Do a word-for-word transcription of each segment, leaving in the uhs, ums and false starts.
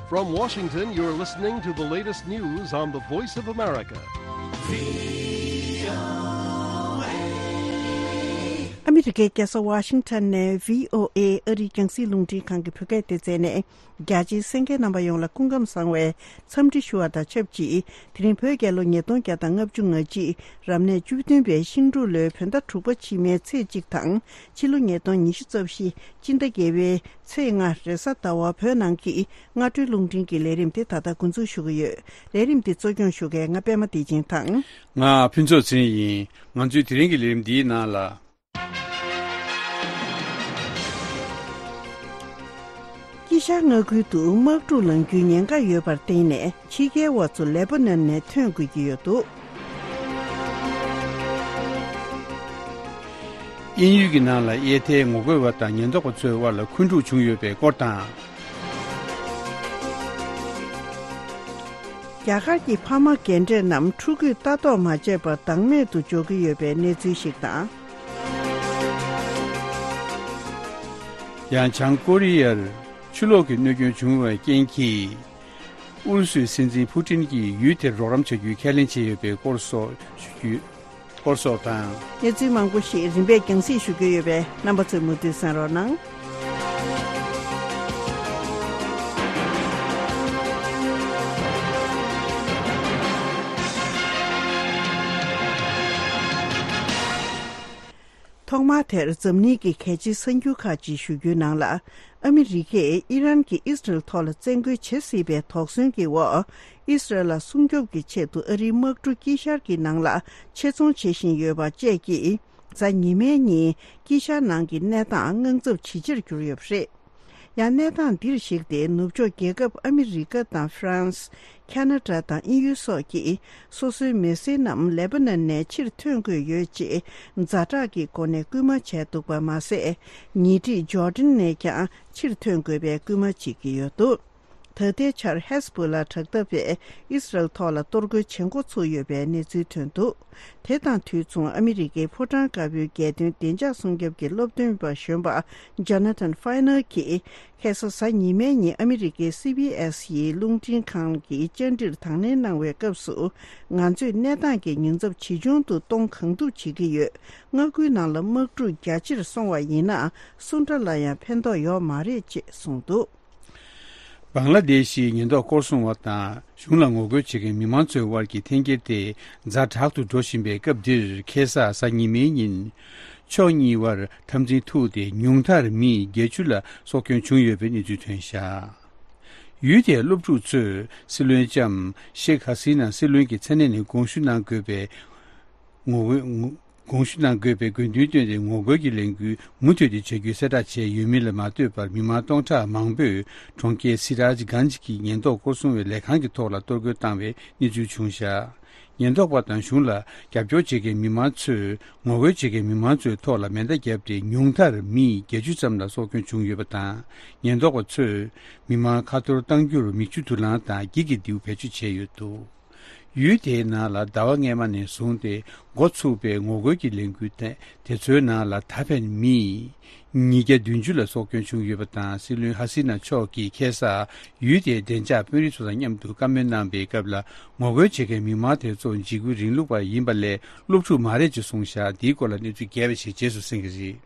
From Washington, you're listening to the latest news on the Voice of America. ཨ་མི་རི་ཀའི་རྒྱལ་ས་ཝ་ཤིང་ཊོན་ནས་བྷི་ཨོ་ཨེ་ཨ་རིའི་རྒྱང་སྲིང་རླུང་འཕྲིན་ཁང་གི་བོད་སྐད་སྡེ་ཚན་ནས། རྒྱ་ཆེའི་གསན་མཁན་རྣམ་པ་ཡོངས་ལ་སྐུ་ཁམས་བཟང་བའི་འཚམས་འདྲི་ཞུ་བ་དང་ཆབས་ཅིག་དེ་རིང་བོད་རྒྱལ་ལོ་ཉིས་སྟོང་བརྒྱ་དང་ལྔ་བཅུ་ང་གཅིག་རབ་གནས་བཅུ་བདུན་པའི་ཤིང་འབྲུག་ལོའི་བོད་ཟླ་དྲུག་པ་ཕྱི་མའི་ཚེས་གཅིག་དང་ཕྱི་ལོ་ཉིས་སྟོང་ཉི་ཤུ་རྩ་བཞི་སྤྱི་ཟླ་བརྒྱད་པའི་ཚེས་ལྔ་རེས་གཟའ་ཟླ་བ་བོད་ནང་གི་སྔ་དྲོའི་རླུང་འཕྲིན་གྱི་ལས་རིམ་དེ་ད་ལྟ་འགོ་འཛུགས་ཞུ་གི་ཡོད། ལས་རིམ་འདི་གཙོ་སྐྱོང་ཞུ་མཁན་ང་པད་མ་བདེ་ཆེན་དང་། ང་ཕུན་ཚོགས་ཚེ་རིང་ཡིན། ང་ཚོའི་དེ་རིང་གི་ལས་རིམ་འདིའི་ནང་ལ། དཀྱིལ་ཤར་མངའ་ཁུལ་དུ་དམག་འཁྲུག་ལངས་རྒྱུའི་ཉེན་ཁ་ཡོད་པར་བརྟེན་ནས་ཕྱི་རྒྱལ་བ་ཚོ་ལེ་པ་ནན་ནས་ཐོན་དགོས་ཀྱི་ཡོད་འདུག་དབྱིན་ཡུལ་གྱི་ནང་ལ་གཡས་ཐལ་ངོ་རྒོལ་བ་དང་ཉེན་རྟོག་པ་ཚོའི་དབར་ལ་འཁོན་འཁྲུག་བྱུང་ཡོད་པའི་སྐོར་དང་། རྒྱ་གར་གྱི་ཕ་མ་རྒན་གྲས་རྣམས་ཕྲུ་གུས་ལྟ་རྟོག་མ་བྱས་པར་བདག་མེད་དུ་འཇོག་གི་ཡོད་པའི་གནས་ཚུལ་ཞིག་དང་། ཡང་བྱང་ཀོ་རི་ཡར་ཆུ་ལོག་གི་གནོད་སྐྱོན་བྱུང་བའི་རྐྱེན་གྱིས། ཨུ་རུ་སུའི་སྲིད་འཛིན་ཕུ་ཏིན་གྱིས་ཡུལ་དེར་རོགས་རམ་བྱ་རྒྱུའི་ཁས་ལེན་བྱས་ཡོད་པའི་སྐོར་སོགས་ཞུ་རྒྱུ། སྐོར་སོགས་དང་། གནས་ཚུལ་མང་པོ་ཞིག་རིམ་པས་རྒྱང་སྲིང་ཞུ་རྒྱུ་ཡོད་པས་རྣམ་པ་ཚོས་མུ་མཐུད་གསན་རོགས་གནང་། ཐོག་མར་དེར་འཛམ་གླིང་གི་གལ་ཆེའི་གསར་འགྱུར་ཁག་ཅིག་ཞུ་རྒྱུའི་ནང་ལ། ཨ་མི་རི་ཀས་ཨི་རན་གྱིས་ཨི་སི་རལ་ཐོག་ལ་བཙན་རྒོལ་བྱེད་སྲིད་པའི་དོགས་ཟོན་གྱི་འོག་ཨི་སི་རལ་ལ་སྲུང་སྐྱོབ་ཀྱི་ཆེད་དུ་ཨ་རིའི་དམག་གྲུ་དཀྱིལ་ཤར་གྱི་ནང་ལ་ཆེད་རྫོང་བྱེད་བཞིན་ཡོད་པ་བཅས་ཀྱིས། གཟའ་ཉི་མའི་ཉིན་དཀྱིལ་ཤར་ནང་གི་གནས་སྟངས་དངངས་འཚབ་ཇེ་ཆེར་གྱུར་ཡོད་པ་རེད། ཡང་གནས་སྟངས་འདིར་གཞིགས་ཏེ་ནུབ་ཕྱོགས་རྒྱལ་ཁབ་ཨ་མི་རི་ཀ་དང་ཧྥ་རན་སི། ཁ་ན་ཌ་དང་དབྱིན་ཡུལ་སོགས་ཀྱིས་སོ་སོའི་མི་སེར་རྣམས་ལེ་པ་ནན་ནས་ཕྱིར་ཐོན་དགོས་ཡོད་ཅེས་ཛ་དྲག་གི་སྒོ་ནས་སྐུལ་མ་བྱས་འདུག་པ་མ་ཟད། ཉེ་འཁྲིས་ཇོར་ཌན་ནས་ཀྱང་ཕྱིར་ཐོན་དགོས་པའི་སྐུལ་མ་བྱེད་ཀྱི་ཡོད་འདུག་ད་ལྟའི་ཆར་ཧེ་ཟ་བྷོ་ལ་དྲག་འཐབ་པས་ཨི་སི་རལ་ཐོག་ལ་གཏོར་རྒོལ་བྱེད་འགོ་ཚུགས་ཡོད་པའི་གནས་ཚུལ་ཐོན་འདུག་དེ་དང་དུས་མཚུངས་ཨ་མི་རི་ཀའི་ཕོ་བྲང་དཀར་པོའི་རྒྱལ་དོན་བདེ་འཇགས་སྲུང་སྐྱོབ་ཀྱི་སློབ་སྟོན་པ་གཞོན་པ་ཇོ་ན་ཐན་ཧྥའི་ནར་གྱིས། ཁ་སང་གཟའ་ཉི་མའི་ཉིན་ཨ་མི་རི་ཀའི་སི་བྷི་ཨེ་སི་ཡི་རླུང་འཕྲིན་ཁང་གི་བཅར་འདྲིར་དང་ལེན་གནང་བའི་སྐབས་སུ། ང་ཚོས་གནས་སྟངས་ཀྱི་ཉེན་ཚབས་ཇི་བྱུང་དུ་གཏོང་གང་ཐུབ་བྱེད་ཀྱི་ཡོད། མངའ་ཁུལ་ནང་ལ་དམག་འཁྲུག་རྒྱ་ཆེར་སོང་བ་ཡིན་ན་སུ་འདྲ་ལ་ཡང་ཕན་ཐོགས་ཡོད་མ་རེད་ཅེས་གསུངས་འདུག་བང་ལ་དེ་ཤིའི་ཉེན་རྟོག་སྐོར་སྲུང་བ་དང་གཞུང་ལ་ངོ་རྒོལ་བྱེད་མཁན་མི་མང་ཚོའི་དབར་གྱི་འཐེན་འཁྱེར་དེ་ཛ་དྲག་ཏུ་འགྲོ་བཞིན་པའི་སྐབས་འདིར་ཁ་སང་གཟའ་ཉི་མའི་ཉིན། ཕྱོགས་གཉིས་དབར་འཐབ་འཛིང་ཐུག་སྟེ་ཉུང་མཐར་མི་བརྒྱད་ཅུ་ལ་སྲོག་སྐྱོན་བྱུང་ཡོད་པའི་གནས་ཚུལ་ཐོན་བཞག་ཡུལ་དེའི་སློབ་ཕྲུག་ཚོས་སྲིད་བློན་ལྕམ་ཤེག་ཧ་སི་ན་སྲིད་བློན་གྱི་མཚན་གནས་ནས་དགོངས་ཞུ་གནང་དགོས་པའི་ངོ་རྒོལ་ངོ་དགོངས་ཞུ་གནང་དགོས་པའི་དགོས་འདུན་བཏོན་ཏེ་ངོ་རྒོལ་གྱི་ལས་འགུལ་མུ་མཐུད་དེ་བྱ་རྒྱུའི་གསལ་བསྒྲགས་བྱས་ཡོད་མིན་ལ་མ་ལྟོས་པར་མི་མང་སྟོང་ཕྲག་མང་པོས་གྲོང་ཁྱེར་སི་རཱཇ་གྷན་ཇི་གི་ཉེན་རྟོག་སྐོར་སྲུང་བའི་ལས་ཁང་གི་ཐོག་ལ་གཏོར་རྒོལ་བཏང་བའི་གནས་ཚུལ་བྱུང་བཞག་ཉེན་རྟོག་པ་དང་གཞུང་ལ་རྒྱབ་སྐྱོར་བྱེད་མཁན་མི་མང་ཚོས་ངོ་རྒོལ་བྱེད་མཁན་མི་མང་ཚོའི་ཐོག་ལ་མེ་མདའ་བརྒྱབ་སྟེ་ཉུང་མཐར་མི་བརྒྱད་ཅུ་ཙམ་ལ་སྲོག་སྐྱོན་བྱུང་ཡོད་པ་དང་། ཉེན་རྟོག་པ་ཚོས་མི་མང་ཁ་གཏོར་གཏང་རྒྱུར་མིག་ཆུ་དུག་རླངས་དང་འགྱིག་གི་མདེའུ་བེད་སྤྱོད་བྱས་ཡོད་འདུག་ཡུལ་དེའི་ནང་ལ་ཟླ་བ་སྔས་མ་ནས་བཟུང་སྟེ་འགོ་ཚུགས་པའི་ངོ་རྒོལ་གྱི་ལས་འགུལ་དེ་དེ་ཚོའི་ནང་ལ་ད་ཕན་མི་ཉིས་བརྒྱ་བདུན་ཅུ་ལ་སྲོག་སྐྱོན་བྱུང་ཡོད་པ་དང་། སྲིད་བློན་ཧ་སི་ན་མཆོག་གིས་ཁ་སང་ཡུལ་དེའི་བདེ་འཇགས་དཔོན་རིགས་ཚོ་དང་མཉམ་དུ་བཀའ་མོལ་གནང་པའི་སྐབས་ལ། ངོ་རྒོལ་བྱེད་མཁན་མི་མང་དེ་ཚོ་འཇིགས་སྐུལ་རིང་ལུགས་པ་ཡིན་པ་ལས་སློབ་ཕྲུག་མ་རེད་ཅེས་གསུངས་བཞག་འདིའི་སྐོར་ལ་གནས་ཚུལ་རྒྱས་པ་ཞིག་རྗེས་སུ་གསན་གྱི་རེད།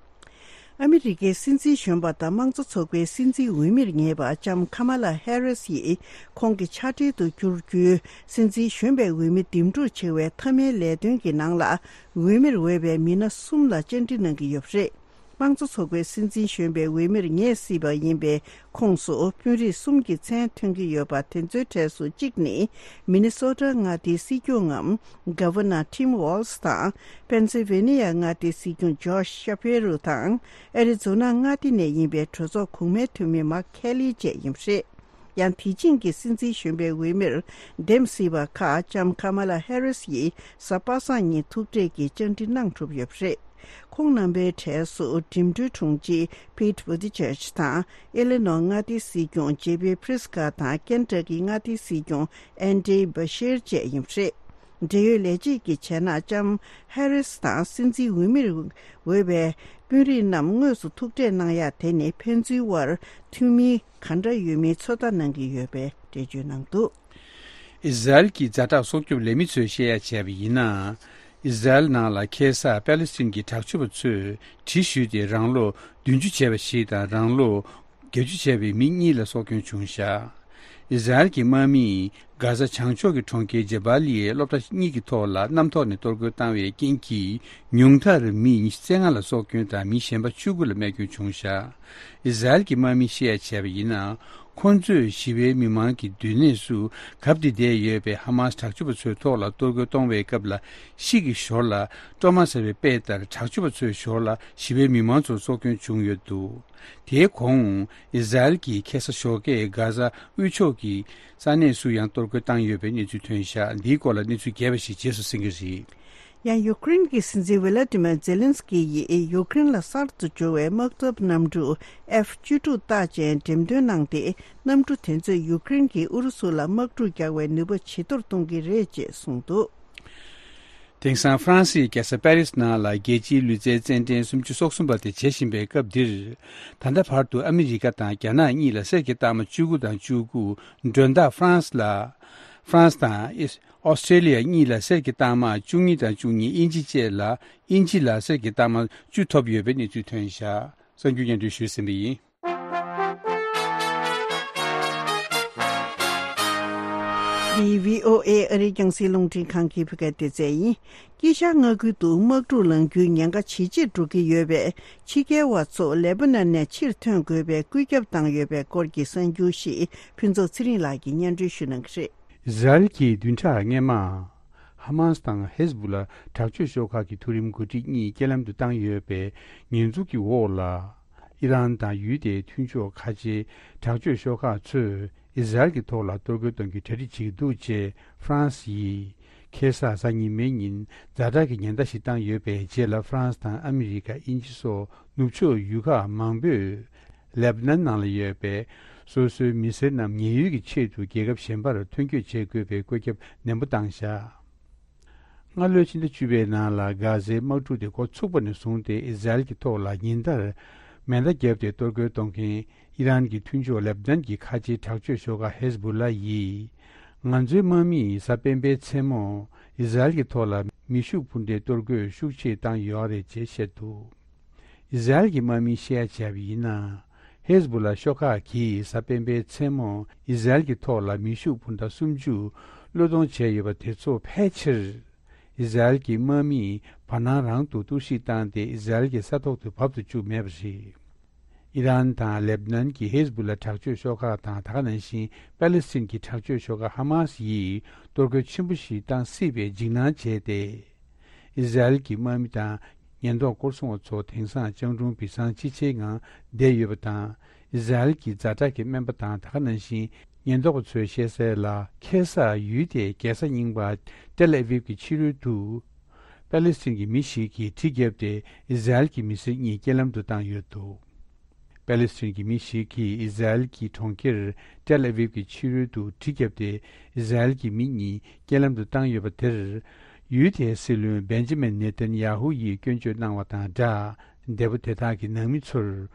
ཨ་མི་རི་ཀའི་སྲིད་འཛིན་གཞོན་པ་དང་དམངས་གཙོ་ཚོགས་པའི་སྲིད་འཛིན་འོས་མིར་ངེས་པ་ལྕམ་ཁ་མ་ལ་ཧེ་རིས་ཡིས་ཁོང་གི་ཕྱག་སྦྲེལ་དུ་གྱུར་རྒྱུའི་སྲིད་འཛིན་གཞོན་པའི་འོས་མི་འདེམས་སྒྲུག་བྱེད་པའི་མཐའ་མའི་ལས་དོན་གྱི་ནང་ལ། འོས་མིར་འོས་པའི་མི་སྣ་གསུམ་ལ་བཅར་འདྲི་གནང་གི་ཡོད་པ་རེད། དམངས་གཙོ་ཚོགས་པའི་སྲིད་འཛིན་གཞོན་པའི་འོས་མིར་ངེས་སྲིད་པ་ཡིན་པའི་ཁོངས་སུ་དཔོན་རིགས་གསུམ་གྱི་མཚན་ཐོན་གྱི་ཡོད་པ་དེ་ཚོའི་གྲས་སུ་གཅིག་ནི། མི་ནི་སོ་ཊ་མངའ་སྡེའི་སྲིད་སྐྱོང་ངམ། Governor Tim Walz དང་། པེན་སིལ་ཝེ་ནི་ཡ་མངའ་སྡེའི་སྲིད་སྐྱོང་ཇོརྗ་ཤ་ཕེ་རུ་དང་། ཨེ་རི་ཛོ་ན་མངའ་སྡེ་ནས་ཡིན་པའི་གྲོས་ཚོགས་གོང་མའི་འཐུས་མི་མཱག་ཁེ་ལི་བཅས་ཡིན་པ་རེད། ཡང་དེ་བཞིན་གྱི་སྲིད་འཛིན་གཞོན་པའི་འོས་མིར་འདེམས་སྲིད་པ་ཁག་ལྕམ་ཁ་མ་ལ་ཧེ་རིས་ཡིས་གཟའ་པ་སངས་ཉིན་ཐུག་འཕྲད་ཀྱིས་བཅར་འདྲི་གནང་གྲུབ་ཡོད་པ་རེད། ཁོང་རྣམ་པའི་གྲས་སུ་འགྲིམ་འགྲུལ་དྲུང་ཆེ་Pete Buttigieg དང་། ཨི་ལི་ནོ་མངའ་སྡེའི་སྲིད་སྐྱོང་ཇེ་པི་བྷི་རི་སི་ཀ་དང་། ཀེན་ཊ་ཀི་མངའ་སྡེའི་སྲིད་སྐྱོང་ཨན་ཌི་བྷ་ཤེར་བཅས་ཡིན་པ་རེད། འབྲེལ་ཡོད་ལས་བྱེད་ཀྱི་བྱེད་ནག་ལྕམ་ཧེ་རིས་དང་སྲིད་འཛིན་འོས་མིར་འོས་པའི་ དཔོན་རིགས་རྣམས་དངོས་སུ་ཐུག་འཕྲད་གནང་ཡ་དེ་ནི་ཕན་ཚུན་དབར་མཐུན་མིན་ག་འདྲ་ཡོད་མེད་ཚོད་ལྟ་གནང་གི་ཡོད་པའི་འགྲེལ་བརྗོད་གནང་འདུག། ཨི་ཟ་རེལ་གྱི་ཛ་དྲག་སྲོག་སྐྱོབ་ལས་མི་ཚོས་བཤད་ཡ་བྱས་པ་ཡིན་ན། ཨི་ཟ་རེལ་ནང་ལ་ཁ་སང་པ་ལི་སི་ཐན་གྱི་དྲག་སྤྱོད་པ་ཚོས་གྲི་གཞུས་ཏེ་རང་ལོ་བདུན་ཅུ་བྱས་པ་ཞིག་དང་རང་ལོ་བརྒྱད་ཅུ་བྱས་པའི་མི་གཉིས་ལ་སྲོག་སྐྱོན་བྱུང་བཞག། ཨི་ཟ་རེལ་གྱི་དམག་མིས་གྷ་ས་བྱང་ཕྱོགས་ཀྱི་གྲོང་ཁྱེར་ཇེ་བྷ་ལི་ཡའི་སློབ་གྲྭ་གཉིས་ཀྱི་ཐོག་ལ་གནམ་ཐོག་ནས་གཏོར་རྒོལ་བཏང་བའི་རྐྱེན་གྱིས་ཉུང་མཐར་མི་ཉི་ཤུ་རྩ་ལྔ་ལ་སྲོག་སྐྱོན་དང་མི་གཞན་པ་བཅུ་དགུ་ལ་རྨས་སྐྱོན་བྱུང་བཞག། ཨི་ཟ་རེལ་གྱི་དམག་མིས་བཤད་ཡ་བྱས་པ་ཡིན་ན། ཁོང་ཚོས་ཞི་བའི་མི་མང་གི་སྡོད་གནས་སུ་གབ་སྟེ་བསྡད་ཡོད་པའི་ཧ་མ་སི་དྲག་སྤྱོད་པ་ཚོའི་ཐོག་ལ་གཏོར་རྒོལ་གཏོང་བའི་སྐབས་ལ་ཤིག་གི་ཞོར་ལ་སྤྲོ་མ་ཟ་བའི་དཔེ་ལྟར་དྲག་སྤྱོད་པ་ཚོའི་ཞོར་ལ་ཞི་བའི་མི་མང་ཚོར་སྲོག་སྐྱོན་བྱུང་ཡོད་འདུག། དེའི་གོང་ཨི་ཟ་རེལ་གྱིས་ཁ་སང་ཞོགས་ཀས་གྷ་ས་དབུས་ཕྱོགས་ཀྱི་ས་གནས་སུ་ཡང་གཏོར་རྒོལ་བཏང་ཡོད་པའི་གནས་ཚུལ་ཐོན་བཞག། འདིའི་སྐོར་ལ་གནས་ཚུལ་རྒྱས་པ་ཞིག་རྗེས་སུ་གསན་གྱི་རེད། ཡང་ཡུ་ཀེ་རེན་གྱི་སྲིད་འཛིན་ཝི་ལ་ཏི་མར་ཛེ་ལན་སི་ཀི་ཡིས་ཡུ་ཀེ་རེན་ལ་གསར་དུ་འབྱོར་བའི་དམག་འཐབ་གནམ་གྲུ་ཨེཕ་བཅུ་དྲུག་རྟགས་ཅན་འགྲེམས་སྟོན་གནང་སྟེ། གནམ་གྲུ་དེ་ཚོས་ཡུ་ཀེ་རེན་གྱིས་ཨུ་རུ་སུ་ལ་དམག་འཁྲུག་རྒྱག་པའི་ནུས་པ་ཇེ་མཐོར་གཏོང་གི་རེད་ཅེས་གསུངས་འདུག། དེང་སང་ཧྥ་རན་སིའི་རྒྱལ་ས་པེ་རིས་ནང་ལ་རྒྱལ་སྤྱིའི་ལུས་རྩལ་རྩེད་འགྲན་སུམ་ཅུ་སོ་གསུམ་པ་དེ་བྱེད་བཞིན་པའི་སྐབས་འདིར། ད་ལྟ་བར་དུ་ཨ་མི་རི་ཀ་དང་རྒྱ་ནག་གཉིས་ལ་གསེར་གྱི་རྟགས་མ་བཅུ་དགུ་དང་བཅུ་དགུ། མགྲོན་བདག་ཧྥ་རན་སི་ལ། ཧྥ་རན་སི་དང་ཨིས། ཨོ་སི་ཀྲེ་ལི་ཡ་གཉིས་ལ་གསེར་གྱི་རྟགས་མ་བཅུ་གཉིས་དང་བཅུ་གཉིས། དབྱིན་ཇི་བཅས་ལ། དབྱིན་ཇི་ལ་གསེར་གྱི་རྟགས་མ་བཅུ་ཐོབ་ཡོད་པའི་གནས་ཚུལ་ཐོན་བཞག། གསར་འགྱུར་སྙན་སྒྲོན་ཞུས་ཟིན་པ་ཡིན། འདི་བྷི་ཨོ་ཨེ་ཨ་རིའི་རྒྱང་སྲིང་རླུང་འཕྲིན་ཁང་གི་བོད་སྐད་སྡེ་ཚན་ཡིན། དཀྱིལ་ཤར་མངའ་ཁུལ་དུ་དམག་འཁྲུག་ལངས་རྒྱུའི་ཉེན་ཁ་ཇེ་ཆེར་འགྲོ་གི་ཡོད་པས། ཕྱི་རྒྱལ་བ་ཚོ་ལེ་པ་ནན་ནས་ཕྱིར་ཐོན་དགོས་པའི་བཀོད་ཁྱབ་བཏང་ཡོད་པའི་སྐོར་གྱི་གསར་འགྱུར་ཞིག་ཕུན་ཚོགས་ཚེ་རིང་ལགས་ཀྱིས་སྙན་སྒྲོན་ཞུ་གནང་གི་རེད། ཨི་ཟ་རེལ་གྱིས་བདུན་ཕྲག་སྔོན་མ། ཧ་མཱས་དང་ཧེ་ཟ་བུ་ལ་དྲག་སྤྱོད་ཤོག་ཁག་གི་མཐོ་རིམ་འགོ་ཁྲིད་གཉིས་རྐྱེན་ལམ་དུ་བཏང་ཡོད་པའི་ཉེས་འཛུགས་ཀྱི་འོག་ལ། ཨི་རན་དང་ཡུལ་དེའི་མཐུན་ཕྱོགས་ཁ་ཆེའི་དྲག་སྤྱོད་ཤོག་ཁག་ཚོས་ཨི་ཟ་རེལ་གྱི་ཐོག་ལ་གཏོར་རྒོལ་གཏོང་རྒྱུའི་གྲ་སྒྲིག་བྱེད་ཀྱི་འདུག་ཅེས་ཧྥ་རན་སི་ཡིས་ཁ་སང་གཟའ་ཉི་མའི་ཉིན་ཛ་དྲག་གི་ཉེན་བརྡ་ཞིག་བཏང་ཡོད་པའི་རྗེས་ལ། ཧྥ་རན་སི་དང་ཨ་མི་རི་ཀ། དབྱིན་ཇི་སོགས་ནུབ་ཕྱོགས་ཡུལ་ཁག་མང་པོས། ལེབ་ནན་ནང་ལ་ཡོད་པའི་སོ་སོའི་མི་སེར་རྣམས་ཉེན་གཡོལ་གྱི་ཆེད་དུ་རྒྱལ་ཁབ་གཞན་པར་ཐོན་སྐྱོད་བྱེད་དགོས་པའི་བཀོད་ཁྱབ་ནན་པོ་བཏང་བཞག། སྔ་ལོའི་ཕྱི་ཟླ་བཅུ་པའི་ནང་ལ་གྷ་ཟའི་དམག་འཁྲུག་དེ་འགོ་ཚུགས་པ་ནས་བཟུང་སྟེ། ཨི་ཟ་རེལ་གྱི་ཐོག་ལ་ཉིན་ལྟར་མེ་མདའ་བརྒྱབ་སྟེ་གཏོར་རྒོལ་གཏོང་མཁན་ཨི་རན་གྱི་མཐུན་ཕྱོགས་ལེབ་ནན་གྱི་ཁ་ཆེའི་དྲག་སྤྱོད་ཤོག་ཁག་ཧེ་ཟ་བུ་ལ་ཡིས། ང་ཚོའི་དམག་མིས་གཟའ་སྤེན་པའི་མཚན་མོ་ཨི་ཟ་རེལ་གྱི་ཐོག་ལ་མེ་ཤུགས་འཕུར་མདའི་གཏོར་རྒོལ་ཤུགས་ཆེ་བཏང་ཡོད་རེད་ཅེས་བཤད་འདུག། ཨི་ཟ་རེལ་གྱི་དམག་མིས་བཤད་ཡ་བྱས་པ་ཡིན་ན། ཧེ་ཟ་བུ་ལ་ཤོག་ཁག་གིས་གཟའ་སྤེན་པའི་མཚན་མོ་ཨི་ཟ་རེལ་གྱི་ཐོག་ལ་མེ་ཤུགས་འཕུར་མདའ་སུམ་ཅུ་བློས་གཏོང་བྱས་ཡོད་པ་དེ་ཚོ་ཕལ་ཆེར། ཨི་ཟ་རེལ་གྱི་དམག་མིས་བར་སྣང་རང་དུ་གཏོར་བཤིག་བཏང་སྟེ། ཨི་ཟ་རེལ་གྱི་ས་ཐོག་ཏུ་བབས་སུ་བཅུག་མེད་པ་རེད། ཨི་རན་དང་ལེབ་ནན་གྱི་ཧེ་ཟ་བུ་ལ་དྲག་སྤྱོད་ཤོག་ཁག་དང་། ད་ག་ནང་བཞིན་པ་ལི་སི་ཐན་གྱི་དྲག་སྤྱོད་ཤོག་ཁག་ཧ་མཱ་སི་ཡིས་གཏོར་རྒོལ་ཆེན་པོ་ཞིག་བཏང་སྲིད་པའི་འཇིགས་སྣང་བྱས་ཏེ། ཨི་ཟ་རེལ་གྱི་དམག་མི་དང་ཉེན་རྟོག་སྐོར་སྲུང་བ་ཚོ་དེང་སང་སྤྱང་གྲུང་བི་སང་ཅི་ཆེའི་ངང་བསྡད་ཡོད་པ་དང་། ཨི་ཟ་རེལ་གྱི་ཛ་དྲག་གི་སྨན་པ་དང་། ད་ག་ནང་བཞིན་ཉེན་རྟོག་པ་ཚོས་བཤད་གསལ་ལ། ཁ་སང་ཡུལ་དེའི་རྒྱལ་ས་རྙིང་པ་ཏེལ་ཨ་ཝིབ་ཀྱི་ཕྱི་རོལ་དུ། པ་ལི་སི་ཐན་གྱི་མི་ཞིག་གིས་གྲི་བརྒྱབ་སྟེ་ཨི་ཟ་རེལ་གྱི་མི་སེར་གཉིས་རྐྱེན་ལམ་དུ་བཏང་ཡོད་འདུག། པ་ལི་སི་ཐན་གྱི་མི་ཞིག་གིས་ཨི་ཟ་རེལ་གྱི་གྲོང་ཁྱེར་ཏེལ་ཨ་ཝིབ་ཀྱི་ཕྱི་རོལ་དུ་གྲི་བརྒྱབ་སྟེ་ཨི་ཟ་རེལ་གྱི་མི་གཉིས་རྐྱེན་ལམ་དུ་བཏང་ཡོད་པ་དེར། ཡུལ་དེའི་སྲིད་བློན་བེན་ཇི་མིན་ནེ་ཐན་ཡ་ཧུ་ཡིས་སྐྱོན་བརྗོད་གནང་བ་དང་སྦྲགས། འདས་པོ་དེ་དག་གི་ནང་མི་ཚོར་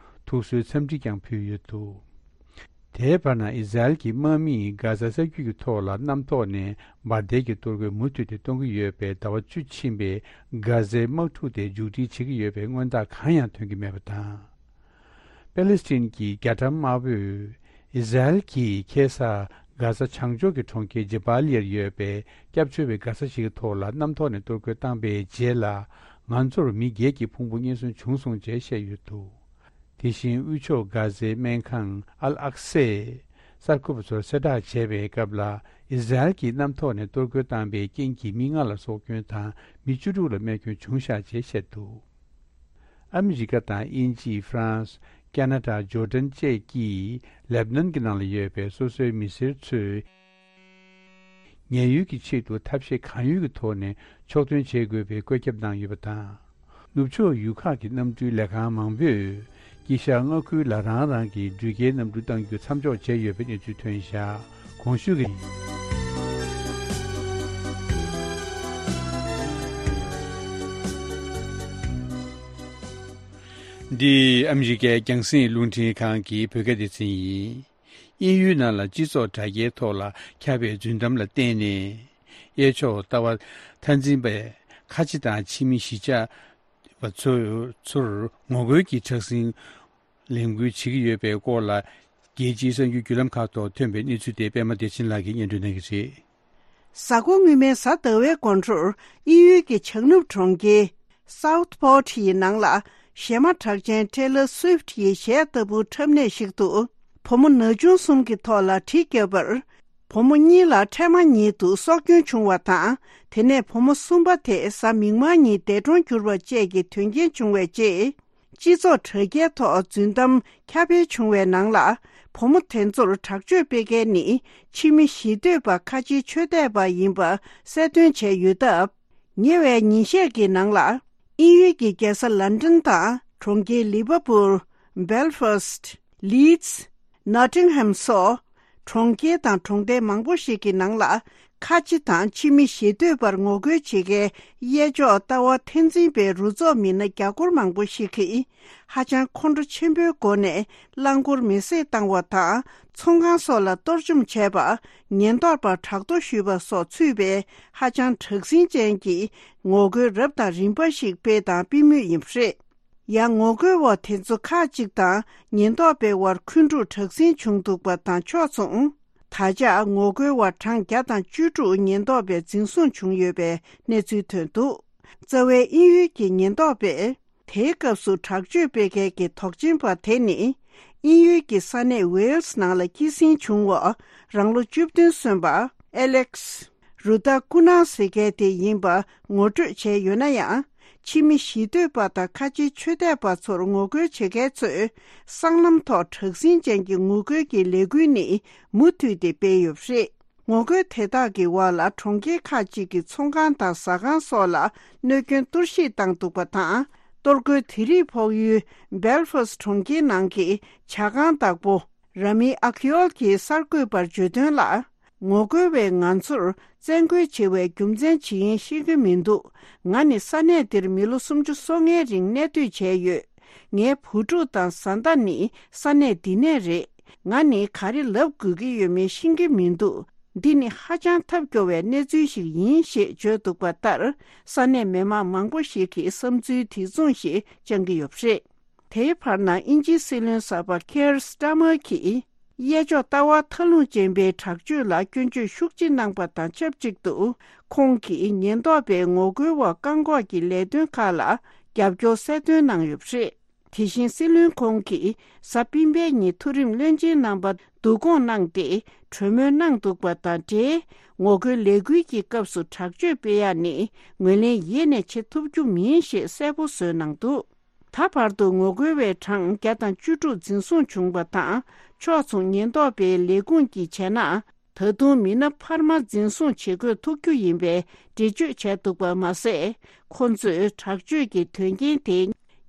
ཐུགས་གསོའི་འཚམས་འདྲི་ཀྱང་ཕུལ་ཡོད་འདུག། དེའི་བར་ན། ཨི་ཟ་རེལ་གྱི་དམག་མིས་གྷ་ཟ་ས་རྒྱུད་ཀྱི་ཐོག་ལ་གནམ་ཐོག་ནས་འབར་མདེལ་གྱི་གཏོར་རྒོལ་མུ་མཐུད་དེ་གཏོང་གི་ཡོད་པས། ཟླ་བ་བཅུ་ཕྱིན་པའི་གྷ་ཟའི་དམག་འཁྲུག་དེ་མཇུག་སྒྲིལ་བྱེད་ཀྱི་ཡོད་པའི་མངོན་རྟགས་གང་ཡང་ཐོན་གྱི་མེད་པ་དང་། པེ་ལེ་སི་ཐན་གྱི་རྒྱ་གྲམ་དམར་པོས་ཨི་ཟ་རེལ་གྱིས་ཁ་སང་གྷ་ཟ་བྱང་ཕྱོགས་ཀྱི་གྲོང་ཁྱེར་ཇེ་བྷ་ལི་ཡར་ཡོད་པའི་སྐྱབས་བཅོལ་བའི་གྷ་ས་ཞིག་གི་ཐོག་ལ་གནམ་ཐོག་ནས་གཏོར་རྒོལ་བཏང་པའི་རྗེས་ལ། ང་ཚོར་མི་བརྒྱད་ཀྱི་ཕུང་པོ་རྙེད་སོན་བྱུང་སོང་ཅེས་བཤད་ཡོད་འདུག། དེ་བཞིན་དབུས་ཕྱོགས་གྷ་ཟའི་སྨན་ཁང་ཨལ་ཨག་སའི་གསར་འགོད་པ་ཚོར་གསལ་བསྒྲགས་བྱས་པའི་སྐབས་ལ། ཨི་ཟ་རེལ་གྱིས་གནམ་ཐོག་ནས་གཏོར་རྒོལ་བཏང་པའི་རྐྱེན་གྱིས་མི་ལྔ་ལ་སྲོག་སྐྱོན་དང་མི་བཅུ་དྲུག་ལ་རྨས་སྐྱོན་བྱུང་བཞག་ཅེས་བཤད་འདུག། ཨ་མི་རི་ཀ་དང་དབྱིན་ཇི། ཧྥ་རན་སི། ཁ་ན་ཌ། ཇོར་ཌན་བཅས་ཀྱིས་ལེབ་ནན་གྱི་ནང་ལ་ཡོད་པའི་སོ་སོའི་མི་སེར་ཚོས། ཉེན་གཡོལ་གྱི་ཆེད་དུ་ཐབས་ཤེས་གང་ཡོད་ཀྱི་ཐོག་ནས་ཕྱོགས་སྟོན་བྱེད་དགོས་པའི་བཀོད་ཁྱབ་གནང་ཡོད་པ་དང་། ནུབ་ཕྱོགས་ཡུལ་ཁག་གི་གནམ་གྲུའི་ལས་ཁང་མང་པོས་དཀྱིལ་ཤར་མངའ་ཁུལ་ལ་རང་རང་གི་འགྲུལ་སྐྱེལ་གནམ་གྲུ་གཏང་རྒྱུ་མཚམས་འཇོག་བྱས་ཡོད་པའི་གནས་ཚུལ་ཐོན་བཞག། གོང་ཞུས་ཀྱི། འདི་ཨ་མི་རི་ཀའི་རྒྱང་སྲིང་རླུང་འཕྲིན་ཁང་གི་བོད་སྐད་སྡེ་ཚན་ཡིན། དབྱིན་ཡུལ་ནང་ལ་སྤྱི་ཚོགས་དྲ་རྒྱའི་ཐོག་ལ་ཁྱབ་པའི་རྫུན་གཏམ་ལ་བརྟེན་ནས། གཡས་ཕྱོགས་ལྟ་བ་མཐའ་འཛིན་པས་ཁ་ཆེ་དང་ཕྱི་མི་གཞིས་ཆགས་པ་ཚོ་ཚོར་ངོ་རྒོལ་གྱི་དྲག་ཟིང་ལས་འགུལ་བྱེད་ཀྱི་ཡོད་པའི་སྐོར་ལ། རྒྱལ་སྤྱིའི་གསར་འགྱུར་བརྒྱུད་ལམ་ཁག་ཐོག་ཐོན་པའི་གནས་ཚུལ་དེ་པད་མ་བདེ་ཆེན་ལགས་ཀྱིས་སྙན་སྒྲོན་གནང་གི་རེད། གཟའ་འཁོར་སྔོན་མའི་གཟའ་ཟླ་བའི་དགོང་དྲོར་དབྱིན་ཡུལ་གྱི་བྱང་ནུབ་གྲོང་ཁྱེར་Southport ཡི་ནང་ལ། གཞས་མ་གྲགས་ཅན་Taylor Swift ཡི་གཞས་ལྟ་བུ་འཁྲབ་གནས་ཤིག་ཏུ། བུ་མོ་ན་ཆུང་གསུམ་གྱི་ཐོག་ལ་གྲི་བརྒྱབ་པར། བུ་མོ་གཉིས་ལ་འཕྲལ་མ་ཉིད་དུ་སྲོག་སྐྱོན་བྱུང་བ་དང་། དེ་ནས་བུ་མོ་གསུམ་པ་དེ་གཟའ་མིག་དམར་ཉིན་འདས་གྲོངས་གྱུར་བ་བཅས་ཀྱི་དོན་རྐྱེན་བྱུང་བའི་རྗེས། སྤྱི་ཚོགས་དྲ་རྒྱའི་ཐོག་རྫུན་གཏམ་ཁྱབ་སྤེལ་བྱུང་བའི་ནང་ལ། བུ་མོ་དེ་ཚོར་དྲག་སྤྱོད་སྤེལ་མཁན་ནི་ཕྱི་མི་ཞི་གཏོད་པ་ཁ་ཆེའི་ཆོས་དད་པ་ཡིན་པ་གསལ་སྟོན་བྱས་ཡོད་སྟབས། ཉེ་བའི་ཉིན་ཤས་ཀྱི་ནང་ལ། དབྱིན་ཡུལ་གྱི་རྒྱལ་ས་ལན་ཀྲན་དང་གྲོང་ཁྱེར་ལི་བ་པུལ། སྦེལ་ཧྥ་སི། ལིཌ། ནོ་ཊིང་ཧམ་སོགས། གྲོང་ཁྱེར་དང་གྲོང་རྡལ་མང་པོ་ཞིག་གི་ནང་ལ། ཁ་ཆེ་དང་ཕྱི་མི་ཞི་གཏོད་པར་ངོ་རྒོལ་བྱེད་མཁན་གཡས་ཕྱོགས་ལྟ་བ་མཐའ་འཛིན་པའི་རུ་ཚོགས་མི་སྣ་རྒྱ་སྒོར་མང་པོ་ཞིག་གིས། ཧ་ཅང་ཁོང་ཁྲོ་ཆེན་པོའི་སྒོ་ནས་རླངས་འཁོར་མེ་བསྲེགས་བཏང་བ་དང་། ཚོང་ཁང་སོགས་ལ་གཏོར་བཅོམ་བྱས་པ། ཉེན་རྟོག་པར་དྲག་གཏོར་ཞུས་པ་སོགས་ཚུད་པའི་ཧ་ཅང་དྲག་ཟིང་ཅན་གྱི་ངོ་རྒོལ་རབ་དང་རིམ་པ་ཞིག་སྤེལ་དང་སྤེལ་མུས་ཡིན་པ་རེད། ཡང་ངོ་རྒོལ་བ་དེ་ཚོ་ཁག་ཅིག་དང་ཉེན་རྟོག་པའི་དབར་འཁོན་འཁྲུག་དྲག་ཟིང་བྱུང་འདུག་པ་དང་ཕྱོགས་མཚུངས། ད་ཆ་ངོ་རྒོལ་བ་གྲངས་བརྒྱ་དང་བཅུ་དྲུག་ཉེན་རྟོག་པས་འཛིན་བཟུང་བྱུང་ཡོད་པའི་གནས་ཚུལ་ཐོན་འདུག། རྩ་བའི་དབྱིན་ཡུལ་གྱི་ཉེན་རྟོག་པས་དེའི་སྐབས་སུ་དྲག་སྤྱོད་སྤེལ་མཁན་གྱི་དོགས་ཅན་པ་དེ་ནི། དབྱིན་ཡུལ་གྱི་ས་གནས་ཝེལ་སི་ནང་ལ་སྐྱེད་སྲིང་བྱུང་བ། རང་ལོ་བཅུ་བདུན་སོན་པ་ཨེ་ལེག་སི། རུ་ཏཱ་ཀུ་ན་ཟེར་མཁན་དེ་ཡིན་པ་ངོ་སྤྲོད་བྱས་ཡོད་ན་ཡང་། ཕྱི་མི་ཞི་གཏོད་པ་དང་ཁ་ཆེའི་ཆོས་དད་པ་ཚོར་ངོ་རྒོལ་བྱེད་མཁན་ཚོས། སྲང་ལམ་ཐོག་དྲག་ཟིང་ཅན་གྱི་ངོ་རྒོལ་གྱི་ལས་འགུལ་ནི་མུ་མཐུད་དེ་སྤེལ་ཡོད་པ་རེད། ངོ་རྒོལ་དེ་དག་གི་འོག་ལ་གྲོང་ཁྱེར་ཁག་ཅིག་གི་ཚོང་ཁང་དང་ཟ་ཁང་སོགས་ལ་གནོད་སྐྱོན་གཏོར་བཤིག་བཏང་འདུག་པ་དང་། གཏོར་རྒོལ་དེ་རིགས་ཕོག་ཡུལ་སྦེལ་ཧྥ་སི་གྲོང་ཁྱེར་ནང་གི་ཇ་ཁང་བདག་པོ། ར་མི་ཨ་ཁི་ཨོལ་གྱིས་གསར་འགོད་པར་བརྗོད་དོན་ལ། ངོ་རྒོལ་བས་ང་ཚོར་བཙན་རྒོལ་བྱེད་པའི་རྒྱུ་མཚན་ཇི་ཡིན་ཤེས་ཀྱི་མི་འདུག། ང་ནི་ས་གནས་འདིར་མི་ལོ་སུམ་ཅུ་སོ་ལྔའི་རིང་གནས་སྡོད་བྱས་ཡོད། ངའི་བུ་ཕྲུག་དང་བཟའ་ཟླ་ནི་ས་གནས་འདི་ནས་རེད། ང་ནི་ག་རེ་ལབ་དགོས་ཀྱི་ཡོད་མེད་ཤེས་ཀྱི་མི་འདུག། འདི་ནི་ཧ་ཅང་ཐབས་སྐྱོ་བའི་གནས་ཚུལ་ཞིག་ཡིན་ཞེས་བརྗོད་འདུག་པ་ལྟར། ས་གནས་མི་མང་མང་པོ་ཞིག་གིས་བསམ་ཚུལ་དེ་མཚུངས་ཤིག་བཅངས་ཀྱི་ཡོད་པ་རེད། དེའི་བར་ན་དབྱིན་ཇིའི་སྲིད་བློན་གསར་པ་ཁེར་སི་ཊ་མར་གྱིས། གཡས་ཕྱོགས་ལྟ་བ་མཐའ་ལྷུང་ཅན་པའི་དྲག་སྤྱོད་ལ་སྐྱོན་བརྗོད་ཤུགས་ཆེ་གནང་པ་དང་ཆབས་ཅིག་ཏུ། ཁོང་གིས་ཉེན་རྟོག་པའི་ངོ་རྒོལ་བ་བཀག་འགོག་གི་ལས་དོན་ཁག་ལ་རྒྱབ་སྐྱོར་གསལ་སྟོན་གནང་ཡོད་པ་རེད། དེ་བཞིན་སྲིད་བློན་ཁོང་གིས་གཟའ་སྤེན་པའི་ཉིན་མཐོ་རིམ་བློན་ཆེན་རྣམ་པ་བསྡུ་སྐོང་གནང་སྟེ། གྲོས་མོལ་གནང་འདུག་པ་དང་འབྲེལ། ངོ་རྒོལ་ལས་འགུལ་གྱི་སྐབས་སུ་དྲག་སྤྱོད་སྤེལ་ཡག་ནི་ངོས་ལེན་ཡེ་ནས་བྱེད་ཐུབ་རྒྱུ་མིན་ཞེས་གསལ་པོ་བཟོས་གནང་འདུག། ད་བར་དུ་ངོ་རྒོལ་བའི་གྲངས་བརྒྱ་དང་བཅུ་དྲུག་འཛིན་བཟུང་བྱུང་བ་དང་། ཕྱོགས་མཚུངས་ཉེན་རྟོག་པའི་ལས་ཁུངས་ཀྱིས་བྱས་ན། ད་དུང་མི་སྣ་འཕར་མ་འཛིན་བཟུང་བྱེད་དགོས་ཐུག་རྒྱུ་ཡིན་པའི་འགྲེལ་བརྗོད་བྱས་འདུག་པ་མ་ཟད། ཁོ་ཚོས་དྲག་སྤྱོད་ཀྱི་དོན་རྐྱེན་དེ་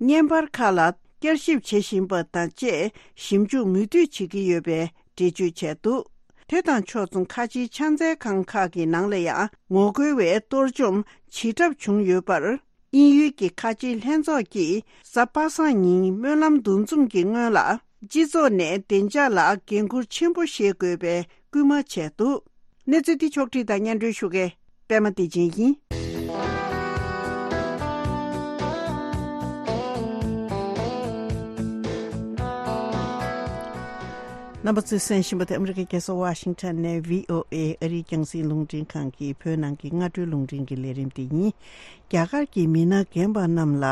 བརྙན་པར་ཁག་ལ་བསྐྱར་ཞིབ་བྱེད་བཞིན་པ་དང་བཅས་ཞིབ་འཇུག་མུ་མཐུད་བྱེད་ཀྱི་ཡོད་པའི་འགྲེལ་བརྗོད་བྱས་འདུག། དེ་དང་ཕྱོགས་མཚུངས་ཁ་ཆེའི་ཕྱག་འཚལ་ཁང་ཁག་གི་ནང་ལ་ཡང་ངོ་རྒོལ་བས་གཏོར་བཅོམ་བྱེད་གྲབས་བྱུང་ཡོད་པར། དབྱིན་ཡུལ་གྱི་ཁ་ཆེའི་ལྷན་ཚོགས་ཀྱིས་གཟའ་པ་སངས་ཉིན་སྨོན་ལམ་འདུ་འཛོམས་ཀྱི་སྔོན་ལ། སྤྱི་ཚོགས་ནས་བདེ་འཇགས་ལ་འགན་འཁུར་ཆེན་པོ་བཞེས་དགོས་པའི་སྐུལ་མ་བྱས་འདུག། གནས་ཚུལ་འདི་ཕྱོགས་བསྒྲིགས་དང་སྙན་སྒྲོན་ཞུ་མཁན་པད་མ་བདེ་ཆེན་ཡིན། རྣམ་པ་ཚོས་གསན་བཞིན་པ་དེ་ཨ་མི་རི་ཀའི་རྒྱལ་ས་ཝ་ཤིང་ཊོན་ནས་བྷི་ཨོ་ཨེ་ཨ་རིའི་རྒྱང་སྲིང་རླུང་འཕྲིན་ཁང་གི་བོད་ནང་གི་སྔ་དྲོའི་རླུང་འཕྲིན་གྱི་ལས་རིམ་དེ་ཡིན། རྒྱ་གར་གྱི་མི་སྣ་རྒན་པ་རྣམས་ལ་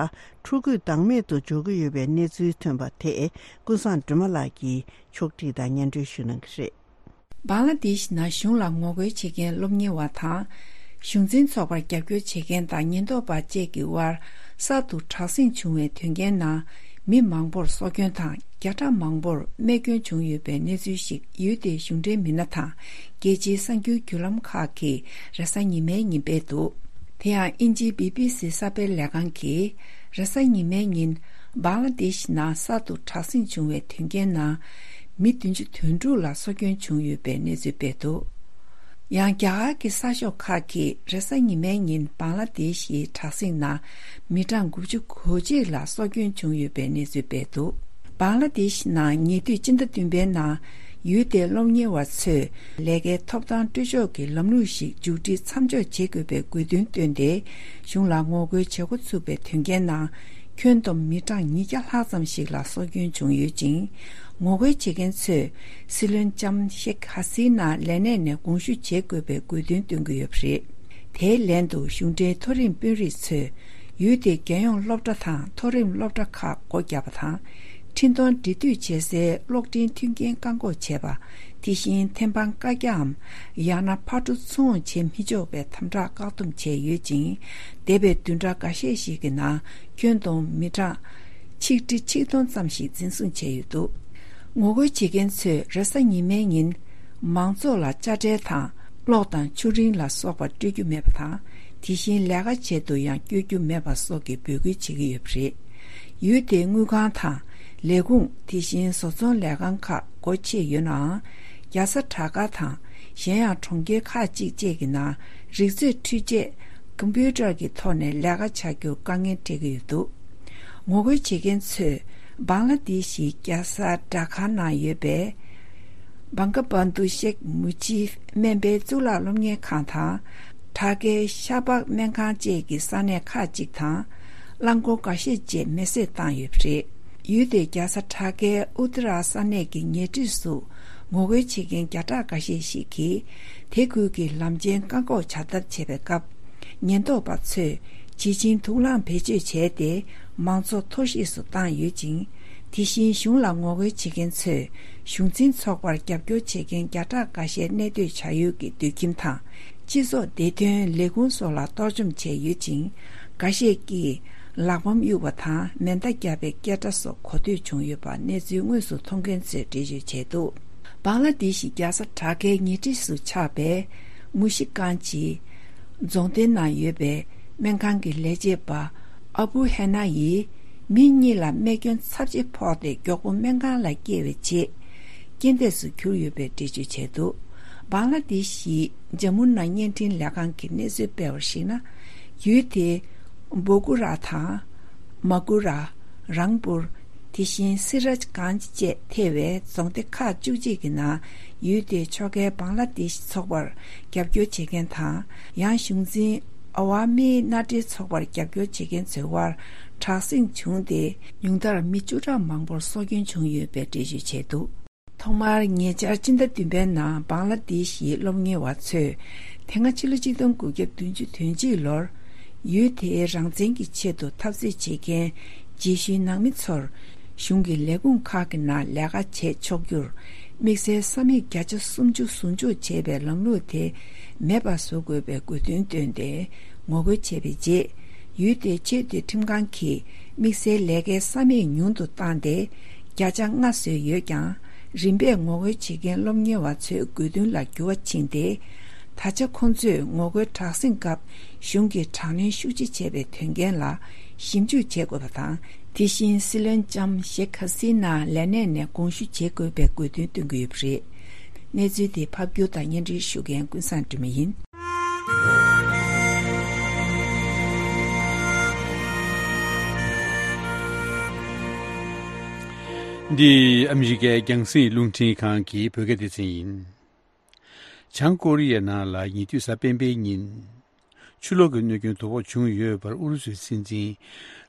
ཕྲུ་གུས་བདག་མེད་དུ་འཇོག་གི་ཡོད་པའི་གནས་ཚུལ་ཐོན་པ་དེ་ཀུན་བཟང་སྒྲོལ་མ་ལགས་ཀྱིས་ཕྱོགས་བསྒྲིགས་དང་སྙན་སྒྲོན་ཞུ་གནང་གི་རེད། བང་ལ་དེཤ་ནང་གཞུང་ལ་ངོ་རྒོལ་བྱེད་མཁན་སློབ་གཉེར་བ་དང་། གཞུང་འཛིན་ཚོགས་པར་རྒྱབ་སྐྱོར་བྱེད་མཁན་དང་ཉེན་རྟོག་པ་བཅས་ཀྱི་དབར་གསར་དུ་དྲག་ཟིང་བྱུང་བའི་དོན་རྐྱེན་ནང་མི་མང་པོར་སྲོག་སྐྱོན་དང་བརྒྱ་ཕྲག་མང་པོར་རྨས་སྐྱོན་བྱུང་ཡོད་པའི་གནས་ཚུལ་ཞིག་ཡུལ་དེའི་གཞུང་འབྲེལ་མི་སྣ་དང་རྒྱལ་སྤྱིའི་གསར་འགྱུར་བརྒྱུད་ལམ་ཁག་གིས་རེས་གཟའ་ཉི་མའི་ཉིན་སྤེལ་འདུག། དེ་ཡང་དབྱིན་ཇིའི་བི་བི་སི་གསར་སྤེལ་ལས་ཁང་གིས་རེས་གཟའ་ཉི་མའི་ཉིན་བང་ལ་དེཤ་ནང་གསར་དུ་དྲག་ཟིང་བྱུང་བའི་དོན་རྐྱེན་ནང་མི་བདུན་ཅུ་དོན་དྲུག་ལ་སྲོག་སྐྱོན་བྱུང་ཡོད་པའི་གནས་ཚུལ་སྤེལ་འདུག། ཡང་རྒྱ་གར་གྱི་གསར་ཤོག་ཁག་གིས་རེས་གཟའ་ཉི་མའི་ཉིན་བང་ལ་དེ་ཤིའི་དྲག་ཟིང་ནང་མི་གྲངས་དགུ་བཅུ་གོ་གཅིག་ལ་སྲོག་སྐྱོན་བྱུང་ཡོད་པའི་གནས་ཚུལ་སྤེལ་འདུག་བང་ལ་དེ་ཤི་ནང་ཉེ་དུས་སྤྱི་ཟླ་བདུན་པའི་ནང་ཡུལ་དེའི་སློབ་གཉེར་བ་ཚོས་ལས་ཀའི་ཐོབ་ཐང་སྤྲོད་ཕྱོགས་ཀྱི་ལམ་ལུགས་ཤིག་མཇུག་སྒྲིལ་མཚམས་འཇོག་བྱེད་དགོས་པའི་དགོས་འདུན་བཏོན་ཏེ། གཞུང་ལ་ངོ་རྒོལ་བྱེད་འགོ་ཚུགས་པའི་དོན་རྐྱེན་ནང་ཁྱོན་བསྡོམས་མི་གྲངས་ཉིས་བརྒྱ་ལྷག་ཙམ་ཞིག་ལ་སྲོག་སྐྱོན་བྱུང་ཡོད་ཅིང་། ངོ་རྒོལ་བྱེད་མཁན་ཚོས་སྲིད་བློན་ལྕམ་ཤེག་ཧ་སི་ན་ལས་གནས་ནས་དགོངས་ཞུ་བྱེད་དགོས་པའི་དགོས་འདུན་བཏོན་གྱི་ཡོད་པ་རེད། དེའི་ལན་དུ་གཞུང་འབྲེལ་མཐོ་རིམ་དཔོན་རིགས་ཚོས་ཡུལ་དེའི་རྒྱལ་ཡོངས་སློབ་གྲྭ་དང་མཐོ་རིམ་སློབ་གྲྭ་ཁག་སྒོ་བརྒྱབ་པ་དང་། འཕྲིན་གཏོང་འབྲེལ་མཐུད་བྱེད་སའི་གློག་འཕྲིན་མཐུན་རྐྱེན་བཀག་འགོག་བྱས་པ། དེ་བཞིན་ཐེམ་སྤང་བཀའ་རྒྱའམ་ཡང་ན་ཕར་འགྲོ་ཚུར་འོང་བྱེད་མི་ཆོག་པའི་དམ་དྲག་བཀག་སྡོམ་བྱས་ཡོད་ཅིང་། འདས་པའི་བདུན་ཕྲག་འགའ་ཤས་ཤིག་གི་ནང་ཁྱོན་བསྡོམས་མི་གྲངས་ཆིག་ཁྲི་ཆིག་སྟོང་ཙམ་ཞིག་འཛིན་བཟུང་བྱས་ཡོད་འདུག་ངོ་རྒོལ་བྱེད་མཁན་ཚོས་རེས་གཟའ་ཉི་མའི་ཉིན་མང་ཚོགས་ལ་དཔྱ་ཁྲལ་དང་གློག་དང་ཆུ་རིན་ལ་སོགས་པ་སྤྲོད་རྒྱུ་མེད་པ་དང་། དེ་བཞིན་ལས་ཀ་བྱེད་དུ་ཡང་བསྐྱོད་རྒྱུ་མེད་པ་སོགས་ཀྱི་འབོད་སྐུལ་བྱེད་ཀྱི་ཡོད་པ་རེད། ཡུལ་དེའི་དངུལ་ཁང་དང་ལས་ཁུངས། དེ་བཞིན་བཟོ་ཚོང་ལས་ཁང་ཁག་སྒོ་ཕྱེ་ཡོད་ནའང་། རྒྱལ་ས་དྲ་ག་དང་གཞན་ཡང་གྲོང་ཁྱེར་ཁག་ཅིག་བཅས་ཀྱི་ནང་རིག་མཛོད་འཕྲུལ་ཆས་ཀམ་པུ་ཊར་གྱི་ཐོག་ནས་ལས་ཀ་བྱ་རྒྱུར་དཀའ་ངལ་འཕྲད་ཀྱི་ཡོད་འདུག་ངོ་རྒོལ་བྱེད་མཁན་ཚོས་བང་ལ་དེ་ཤིའི་རྒྱལ་ས་ཌ་ཁ་ནང་ཡོད་པའི་བང་ག་བྷན་དུ་ཤེག་མུ་ཇིབ་སྨན་པའི་གཙུག་ལག་སློབ་གཉེར་ཁང་དང་། དྲ་གའི་ཤ་པག་སྨན་ཁང་བཅས་ཀྱི་ས་གནས་ཁག་ཅིག་དང་། རླངས་འཁོར་འགའ་ཤས་བཅས་མེ་བསྲེགས་བཏང་ཡོད་པ་རེད། ཡུལ་དེའི་རྒྱལ་ས་དྲ་གའི་ཨུ་ཏི་ར་ས་གནས་ཀྱི་ཉེ་འཁྲིས་སུ་ངོ་རྒོལ་བྱེད་མཁན་བརྒྱ་ཕྲག་འགའ་ཤས་ཤིག་གིས་དེ་ཁུལ་གྱི་ལམ་ཆེན་བཀག་འགོག་བྱ་ཐབས་བྱེད་པའི་སྐབས། ཉེན་རྟོག་པ་ཚོས་བྱེ་ཆིང་དུག་རླངས་བེད་སྤྱོད་བྱས་ཏེ་མང་ཚོགས་འཐོར་བཤིག་སུ་བཏང་ཡོད་ཅིང་། དེ་བཞིན་གཞུང་ལ་ངོ་རྒོལ་བྱེད་མཁན་ཚོས་གཞུང་འཛིན་ཚོགས་པར་རྒྱབ་སྐྱོར་བྱེད་མཁན་བརྒྱ་ཕྲག་འགའ་ཤས་གནས་སྡོད་བྱ་ཡུལ་གྱི་སྡོད་ཁྱིམ་དང་། སྤྱི་ཚོགས་བདེ་དོན་ལས་ཁུངས་སོགས་ལ་གཏོར་བཅོམ་བྱས་ཡོད་ཅིང་། འགའ་ཤས་ཀྱིས་ལག་པམ་གཡུགས་པ་དང་མེ་མདའ་བརྒྱབ་པའི་སྐད་སྒྲ་སོགས་གོ་ཐོས་བྱུང་ཡོད་པ་གནས་ཚུལ་དངོས་སུ་མཐོང་མཁན་ཚོས་འགྲེལ་བརྗོད་བྱས་འདུག་བང་ལ་དེ་ཤི་རྒྱལ་ས་དྲ་གའི་ཉེ་འཁྲིས་སུ་ཆགས་པའི་མུ་ཤི་ཀན་ཇི་རྫོང་སྡེ་ནང་ཡོད་པའི་སྨན་ཁང་གི་ལས་བྱེད་པ་ཨ་བུ་ཧེ་ན་ཡིས་མི་གཉིས་ལ་རྨས་སྐྱོན་ཚབས་ཆེ་ཕོག་སྟེ་མགྱོགས་པོ་སྨན་ཁང་ལ་བསྐྱལ་བའི་རྗེས། རྐྱེན་འདས་སུ་གྱུར་ཡོད་པའི་འགྲེལ་བརྗོད་བྱས་འདུག་བང་ལ་དེ་ཤིའི་ཇམ་མུ་ན་བརྙན་འཕྲིན་ལས་ཁང་གིས་གནས་ཚུལ་སྤེལ་བར་གཞིགས་ན། ཡུལ་དེའི་བོ་གུ་ར་དང་། མ་གུ་ར། རང་པུར། དེ་བཞིན་སི་རཱཇ་གན་ཇི་བཅས་ཐེ་བའི་རྫོང་སྡེ་ཁག་བཅུ་གཅིག་གི་ནང་ཡུལ་དེའི་ཕྱོགས་འགལ་བང་ལ་དེ་ཤི་ཚོགས་པར་རྒྱབ་སྐྱོར་བྱེད་མཁན་དང་། ཡང་གཞུང་འཛིན་ཨ་ཝ་མིའི་མནའ་འབྲེལ་ཚོགས་པར་རྒྱབ་སྐྱོར་བྱེད་མཁན་ཚོའི་དབར་དྲག་ཟིང་བྱུང་སྟེ། ཉུང་མཐར་མི་བཅུ་ཕྲག་མང་པོར་སྲོག་སྐྱོན་བྱུང་ཡོད་པའི་འགྲེལ་བརྗོད་བྱས་འདུག་ཐོག་མར་ཉེ་ཆར་སྤྱི་ཟླ་བདུན་པའི་ནང་བང་ལ་དེ་ཤིའི་སློབ་གཉེར་བ་ཚོས་དེ་སྔ་ཕྱི་ལོ་གཅིག་སྟོང་དགུ་བརྒྱ་བདུན་ཅུ་དོན་གཅིག་ལོར་ཡུལ་དེའི་རང་བཙན་གྱི་ཆེད་དུ་འཐབ་རྩོད་བྱེད་མཁན་རྗེས་ཤུལ་ནང་མི་ཚོར་གཞུང་གི་ལས་ཁུངས་ཁག་གི་ནང་ལས་ཀ་བྱེད་ཆོག་རྒྱུར་དམིགས་བསལ་ས་མིག་བརྒྱ་ཆ་སུམ་ཅུ་ཟུར་འཇོག་བྱེད་པའི་ལམ་ལུགས་དེ་མེད་པ་བཟོ་དགོས་པའི་དགོས་འདུན་བཏོན་ཏེ་ངོ་རྒོལ་བྱས་པའི་རྗེས། ཡུལ་དེའི་ཆོས་དད་ཁྲིམས་ཁང་གིས་དམིགས་བསལ་ལས་ཀའི་ས་མིག་ཉུང་དུ་བཏང་སྟེ། བརྒྱ་ཆ་ལྔ་བཟོས་ཡོད་ཀྱང་། རིམ་པས་ངོ་རྒོལ་བྱེད་མཁན་སློབ་གཉེར་བ་ཚོའི་དགོས་འདུན་ལ་འགྱུར་བ་ཕྱིན་ཏེ། ད་ཆ་ཁོང་ཚོས་ངོ་རྒོལ་དྲག་ཟིང་སྐབས་གཞུང་གིས་དྲག་གནོན་ཤུགས་ཆེ་བྱས་པའི་དོན་རྐྱེན་ལ་ཞིབ་འཇུག་བྱེད་དགོས་པ་དང་། དེ་བཞིན་སྲིད་བློན་ལྕམ་ཤེག་ཧ་སི་ན་ལས་གནས་ནས་དགོངས་ཞུ་བྱེད་དགོས་པའི་དགོས་འདུན་བཏོན་གྱི་ཡོད་པ་རེད། གནས་ཚུལ་དེ་ཕབ་སྒྱུར་དང་སྙན་སྒྲོན་ཞུ་མཁན་ཀུན་བཟང་སྒྲོལ་མ་ཡིན། འདི་ཨ་མི་རི་ཀའི་རྒྱང་སྲིང་རླུང་འཕྲིན་ཁང་གི་བོད་སྐད་སྡེ་ཚན་ཡིན། བྱང་ཀོ་རི་ཡའི་ནང་ལ་ཉེ་དུས་གཟའ་སྤེན་པའི་ཉིན། ཆུ་ལོག་གི་གནོད་སྐྱོན་དོ་ཕོག་བྱུང་ཡོད་པར་ཨུ་རུ་སུའི་སྲིད་འཛིན་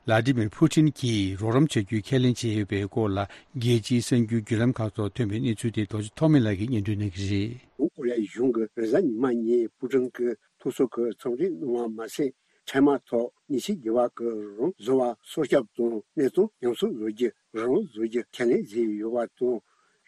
ལ་ཏི་མིར་ཕུ་ཏིན་གྱིས་རོགས་རམ་བྱ་རྒྱུའི་ཁས་ལེན་བྱས་ཡོད་པའི་སྐོར་ལ། རྒྱལ་སྤྱིའི་གསར་འགྱུར་བརྒྱུད་ལམ་ཁག་ཐོག་ཐོན་པའི་གནས་ཚུལ་དེ་རྡོ་རྗེ་ཐོགས་མེད་ལགས་ཀྱིས་སྙན་སྒྲོན་གནང་གི་རེད། ལྷོ་ཀོ་རི་ཡའི་གཞུང་གིས་རེས་གཟའ་ཉི་མ་ཉིན་པུ་ཏིན་གྱི་ཐུགས་གསོ་གི་འཚམས་འདྲི་གནང་བ་མ་ཟད། འཕྲལ་མ་ཐོག་ཉེ་ཆར་རྒྱལ་བ་གྱི་རང་དབང་བཟོ་བར་སྲོག་སྐྱོབ་དང་གནས་སྟངས་ཉམས་གསོ་བཟོ་རྒྱུ་རང་དབང་བཟོ་རྒྱུ་ཁས་ལེན་བྱས་ཡོད་པ་དང་།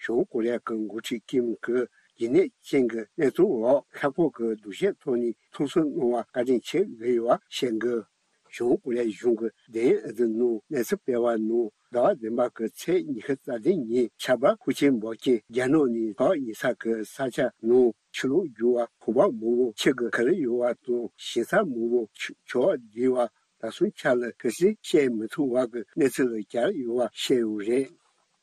བྱང་ཀོ་རི་ཡ་གི་འགོ་ཁྲིད་ཀིམ་གྱིས་རྒྱུན་གནས་ཅན་གྱི་གནས་སྟངས་འོག་ཁ་སྐོང་གི་སྡུག་བཤད་ཐོག་ནས་ཐུགས་གསོ་གནང་བར་བཀའ་དྲིན་ཆེ་ཞུས་ཡོད་པ་བཤད་འདུག་བྱང་ཀོ་རི་ཡ་གཞུང་གི་དེ་ཨ་ཛི་ནང་གནས་ཚུལ་སྤེལ་བ་ནང་། ཟླ་བ་བདུན་པ་གི་ཚེས་ཉི་ཤུ་རྩ་བདུན་ཉིན་ཆར་པ་ཤུགས་ཆེན་འབབ་རྐྱེན་རྒྱ་ནག་ནས་ཕག་ཉེ་ས་གི་ས་ཆ་ནང་ཆུ་ལོག་རྒྱུག་པ། ཁང་པ་མང་པོ་ཆུ་གིས་ཁུར་ཡོད་པ་དང་། ཞིང་ས་མང་པོ་ཆུ་ཆུ་བ་བརྒྱུགས་པ། ད་སོང་ཆ་ལ་གལ་སྲིད་བཤད་མི་ཐུབ་པ་གི་གནས་ཚུལ་ལ་གྱར་ཡོད་པ་བཤད་ཡོད་རེད།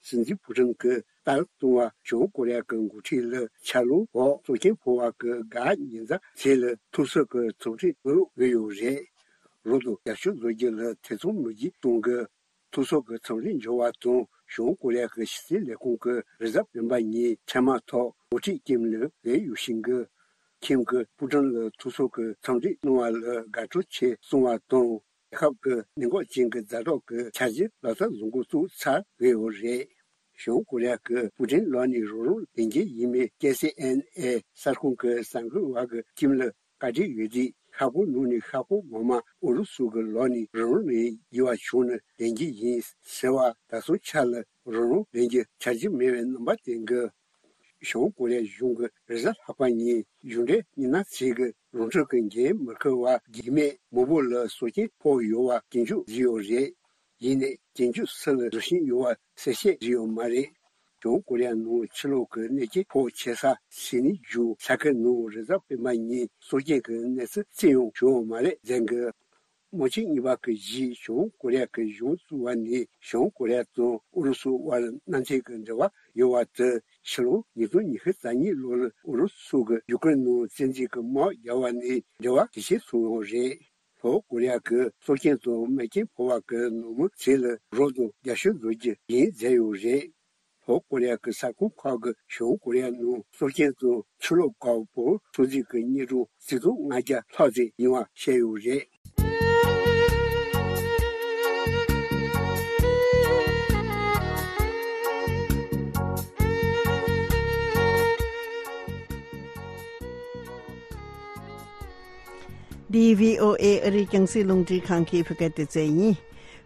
སྲིད་འཛིན་པུ་ཏིན་གྱིས་ ལྟར་བཏང་བ། བྱང་ཀོ་རི་ཡ་གི་འགོ་ཁྲིད་ལ་ཆར་ལོངས་འོག་སྲོག་སྐྱོན་ཕོག་པ་གི་དགའ་ཉེ་མཛའ་བརྩེ་ལ་ཐུགས་གསོ་གི་འཚམས་འདྲི་ཕུལ་གི་ཡོད་རེད། རོགས་དང་རྒྱབ་སྐྱོར་བཟོ་རྒྱུ་ལ་ཐེ་ཚོམ་མི་བགྱིད་གཏོང་གི། ཐུགས་གསོ་གི་འཚམས་འདྲི་འབྱོར་བ་དང་། བྱང་ཀོ་རི་ཡ་གི་ཕྱི་སྲིད་ལས་ཁུངས་ཀྱི་རེས་གཟའ་སྤེན་པ་ཉིན་འཕྲལ་མ་ཐོག་འགོ་ཁྲིད་ཀིམ་ལ་འོས་ཡོད་བཞིན་གི། ཁིམ་གྱིས་པུ་ཀྲིན་ལ་ཐུགས་གསོ་གི་འཚམས་འདྲི་གནང་བ་ལ་དགའ་སྤྲོ་ཆེ་གསུངས་པ་དང་། རྒྱལ་ཁབ་ཀྱི་གནད་འགག་ཅན་གྱི་ཛ་དྲག་གི་འཆར་གཞི་ལག་བསྟར་བཟོ་འགོ་བཙུགས་ཚར་ཡོད་རེད། བྱང་ཀོ་རི་ཡ་གི་པུ་ཀྲིན་ལག་ནས་རང་རང་ལེན་རྒྱུ་ཡིན་པའི་ཀེ་སི་ཨེན་ཨེ་གསར་ཁང་གི་གསར་འགོད་པ་གིས་ཀིམ་ལ་བཀའ་འདྲི་ཡོད་དུས། ཤ་ཁང་ནང་ནས་ཤ་ཁང་ངོ་མ་ཨུ་རུ་སུ་གི་ལག་ནས་རང་རང་ལེན་དགོས་པ་བྱུང་ན་ལེན་རྒྱུ་ཡིན་ཟེར་བ། ད་སོང་ཆ་ལ་རང་རང་ལེན་རྒྱུ་འཆར་གཞི་མེད་པའི་རྣམ་པ་བསྟན་གི། བྱང་ཀོ་རི་ཡ་གཞུང་གིས་རེས་གཟའ་ལྷག་པ་ཉིན་གཞུང་འབྲེལ་མི་སྣ་ཚོས་ཀྱི་རང་འཁྲི་གི་འགན་མི་འཁུར་བར་རྒྱུས་མེད་མང་པོ་ལ་སྲོག་སྐྱོན་ཕོག་ཡོད་པ་སྐྱོན་བརྗོད་བྱས་ཡོད་རེད། ཡིན་ནའི་སྐྱོན་བརྗོད་སུ་ལ་བཟོ་བཞིན་ཡོད་པ་གསལ་བཤད་བྱས་ཡོད་མ་རེད། བྱང་ཀོ་རི་ཡ་ནང་ཕྱི་ལོགས་ཀྱི་གནོད་སྐྱོན་ཕོག་ཆེ་ས་སིད་ནི་བརྒྱུད་ས་ཁུལ་ནང་རེས་གཟའ་སྤེན་པ་ཉིན་སྲོག་སྐྱོན་གྱི་གནས་ཚུལ་རྩིས་ཡང་བྱུང་ཡོད་མ་རེད་ཟེར་གི། དམག་ཆེན་གཉིས་པ་གི་རྗེས་བྱང་ཀོ་རི་ཡ་གི་གཞུང་བཙུགས་པ་ནས་བྱང་ཀོ་རི་ཡ་དང་ཨུ་རུ་སུ་དབར་གནམ་ཐེ་གི་འབྲེལ་བ་ཡོད་པ་དེ་ཕྱི་ལོ་ཉིས་སྟོང་ཉི་ཤུ་རྩ་གཉིས་ལོ་ལ་ཨུ་རུ་སུ་གི་ཡུ་ཀེ་རེན་ནང་བཙན་འཛུལ་གྱི་དམག་རྒྱག་པ་ནས་འབྲེལ་བ་ཇེ་ཆེར་སོང་ཡོད་རེད། ལྷོ་ཀོ་རི་ཡ་གིས་སྲོག་སྐྱོན་དང་རྨས་སྐྱོན་ཕོག་པ་གི་ནང་མི་ཚོ་ལ་རོགས་དང་རྒྱབ་སྐྱོར་བཟོ་རྒྱུ་ཡིན་ཟེར་ཡོད་རེད། ལྷོ་ཀོ་རི་ཡ་གི་གསར་ཁང་ཁག་གིས་བྱང་ཀོ་རི་ཡ་ནང་སྲོག་སྐྱོན་དང་ཆུ་ལོག་འགག་པོ་ཚོད་འཛིན་གྱི་དངོས་གྲངས་ཆིག་སྟོང་ལྔ་བརྒྱ་ལྷག་ཙམ་ཡོད་པ་བཤད་ཡོད་རེད། འདི་བྷི་ཨོ་ཨེ་ཨ་རིའི་རྒྱང་སྲིང་རླུང་འཕྲིན་ཁང་གི་བོད་སྐད་སྡེ་ཚན་ཡིན།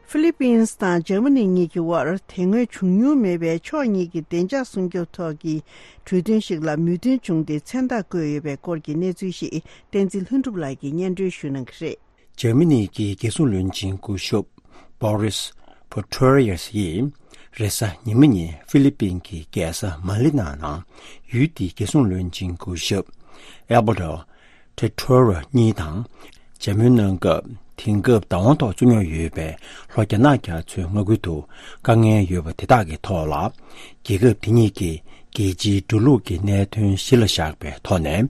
ཧྥི་ལི་པིན་དང་འཇར་མ་ནི་གཉིས་ཀྱི་དབར་དེ་སྔོན་བྱུང་མྱོང་མེད་པའི་ཕྱོགས་གཉིས་ཀྱི་བདེ་འཇགས་སྲུང་སྐྱོབ་ཐོག་གི་གྲོས་མཐུན་ཞིག་ལ་མོས་མཐུན་བྱུང་སྟེ་མཚན་རྟགས་བཀོད་ཡོད་པའི་སྐོར་གྱི་གནས་ཚུལ་ཞིག་བསྟན་འཛིན་ལྷུན་གྲུབ་ལགས་ཀྱིས་སྙན་སྒྲོན་ཞུ་གནང་གི་རེད། འཇར་མ་ནི་གི་རྒྱལ་སྲུང་བློན་ཆེན་སྐུ་ཞབས་Boris Pistorius ཡིས་རེས་གཟའ་ཉི་མ་ཉིན་ཧྥི་ལི་པིན་གྱི་རྒྱལ་ས་མ་ནི་ལ་ནང་ཡུལ་དེའི་རྒྱལ་སྲུང་བློན་ཆེན་སྐུ་ཞབས་Alberto Del Toro གཉིས་དང་མཇལ་མོལ་གནང་སྐབས། དེང་སྐབས་བདག་དབང་ཐོག་བཙུགས་མྱོང་ཡོད་པའི་ལྷོ་རྒྱ་ནག་རྒྱ་མཚོའི་མངའ་ཁུལ་དུ་དཀའ་ངལ་ཡོད་པ་དེ་དག་གི་ཐོག་ལ། རྒྱལ་ཁབ་དེ་གཉིས་ཀྱིས་རྒྱལ་སྤྱིའི་འགྲོ་ལུགས་ཀྱི་གནད་དོན་གཞི་ལ་བཞག་པའི་ཐོག་ནས།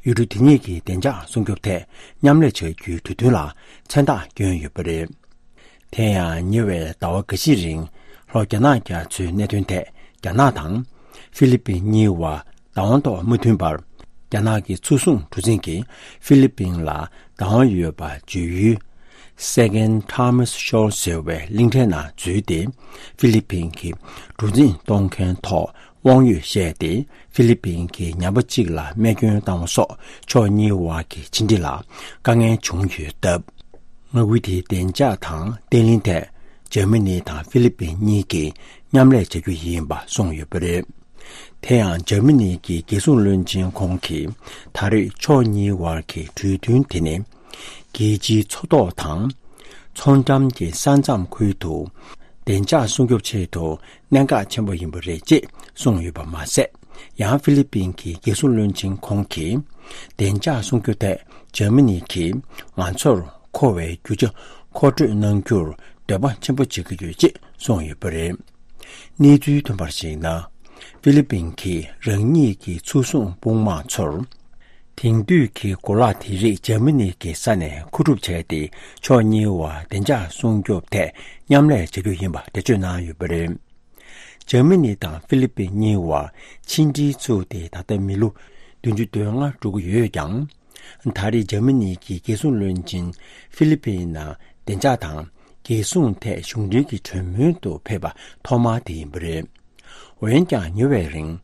ཡུལ་གྲུ་དེ་གཉིས་ཀྱི་བདེ་འཇགས་སྲུང་སྐྱོབ་ཐད་མཉམ་ལས་བྱ་རྒྱུའི་གྲོས་མཐུན་ལ་མཚན་རྟགས་བསྐྱོན་ཡོད་པ་རེད། དེ་ཡང་ཉེ་བའི་ཟླ་བ་འགའ་ཤས་རིང་ལྷོ་རྒྱ་ནག་རྒྱ་མཚོའི་གནད་དོན་ཐད་རྒྱ་ནག་དང་ཧྥི་ལི་པིན་གཉིས་བར་བདག་དབང་ཐོག་མ་མཐུན་པར། རྒྱ་ནག་གི་མཚོ་སྲུང་གྲུ་གཟིངས་ཀྱིས་ཧྥི་ལི་པིན་ལ་བདག་དབང་ཡོད་པ་བརྗོད་ཡུལ་Second Thomas Shoal ཟེར་བའི་གླིང་ཕྲན་ནང་འཛུལ་ཏེ། ཧྥི་ལི་པིན་གྱི་གྲུ་གཟིངས་གཏོང་མཁན་ཐོག་དབང་ཡོད་བཤད་དེ། ཧྥི་ལི་པིན་གྱིས་ཉམས་པ་གཅིག་ལ་རྨས་སྐྱོན་བཏང་བ་སོགས་ཕྱོགས་གཉིས་བར་གྱི་ཕྱི་འབྲེལ་ལ་དཀའ་ངལ་བྱུང་ཡོད་སྟབས། མངའ་ཁུལ་དེའི་བདེ་འཇགས་དང་བརྟན་ལྷིང་ཐད་འཇར་མ་ནི་དང་ཧྥི་ལི་པིན་གཉིས་ཀྱིས་མཉམ་ལས་བྱ་རྒྱུ་ཡིན་པ་གསུངས་ཡོད་པ་རེད། དེ་ཡང་འཇར་མ་ནི་གི་རྒྱལ་སྲུང་བློན་ཆེན་ཁོང་གིས་ད་རེས་ཕྱོགས་གཉིས་བར་གྱི་གྲོས་མཐུན་དེ་ནི། རྒྱལ་སྤྱིའི་མཚོ་ཐོག་དང་། མཚོ་འགྲམ་གྱི་ས་མཚམས་ཁུལ་དུ། བདེ་འཇགས་སྲུང་སྐྱོབ་ཆེད་དུ་གནད་འགག་ཆེན་པོ་ཡིན་པ་རེད་ཅེས་གསུངས་ཡོད་པ་མ་ཟད། ཡང་ཧྥི་ལི་པིན་གྱི་རྒྱལ་སྲུང་བློན་ཆེན་ཁོང་གིས། བདེ་འཇགས་སྲུང་སྐྱོབ་ཐད་འཇར་མ་ནི་གིས་ང་ཚོར་མཁོ་བའི་རྒྱུ་ཆ་མཁོ་སྤྲོད་གནང་རྒྱུར་འདོད་པ་ཆེན་པོ་བྱེད་ཀྱི་ཡོད་ཅེས་གསུངས་ཡོད་པ་རེད། གནས་ཚུལ་ཐོན་པར་གཞིགས་ན། ཧྥི་ལི་པིན་གྱིས་རང་ཉིད་ཀྱི་མཚོ་སྲུང་དཔུང་དམག་ཚོར། དེང་དུས་ཀྱི་གོ་ལག་དེ་རིགས་འཇར་མ་ནི་གི་ས་ནས་མཁོ་སྒྲུབ་བྱས་ཏེ། ཕྱོགས་གཉིས་བར་བདེ་འཇགས་སྲུང་སྐྱོབ་ཐད་མཉམ་ལས་བྱ་རྒྱུ་ཡིན་པ་འགྲེལ་བརྗོད་གནང་ཡོད་པ་རེད། འཇར་མ་ནི་དང་ཧྥི་ལི་པིན་གཉིས་བར་ཕྱི་འབྲེལ་བཙུགས་ཏེ་ད་ལྟ་མི་ལོ་བདུན་ཅུ་དོན་ལྔ་འགྲོ་གི་ཡོད་ཀྱང་། ད་རེས་འཇར་མ་ནི་གི་རྒྱལ་སྲུང་བློན་ཆེན་ཧྥི་ལི་པིན་ནང་བདེ་འཇགས་དང་རྒྱལ་སྲུང་ཐད་གཞུང་འབྲེལ་གྱི་གྲོས་མོལ་དུ་ཕེབས་པ་ཐོག་མ་དེ་ཡིན་པ་རེད། འོན་ཀྱང་ཉེ་བའི་རིང་།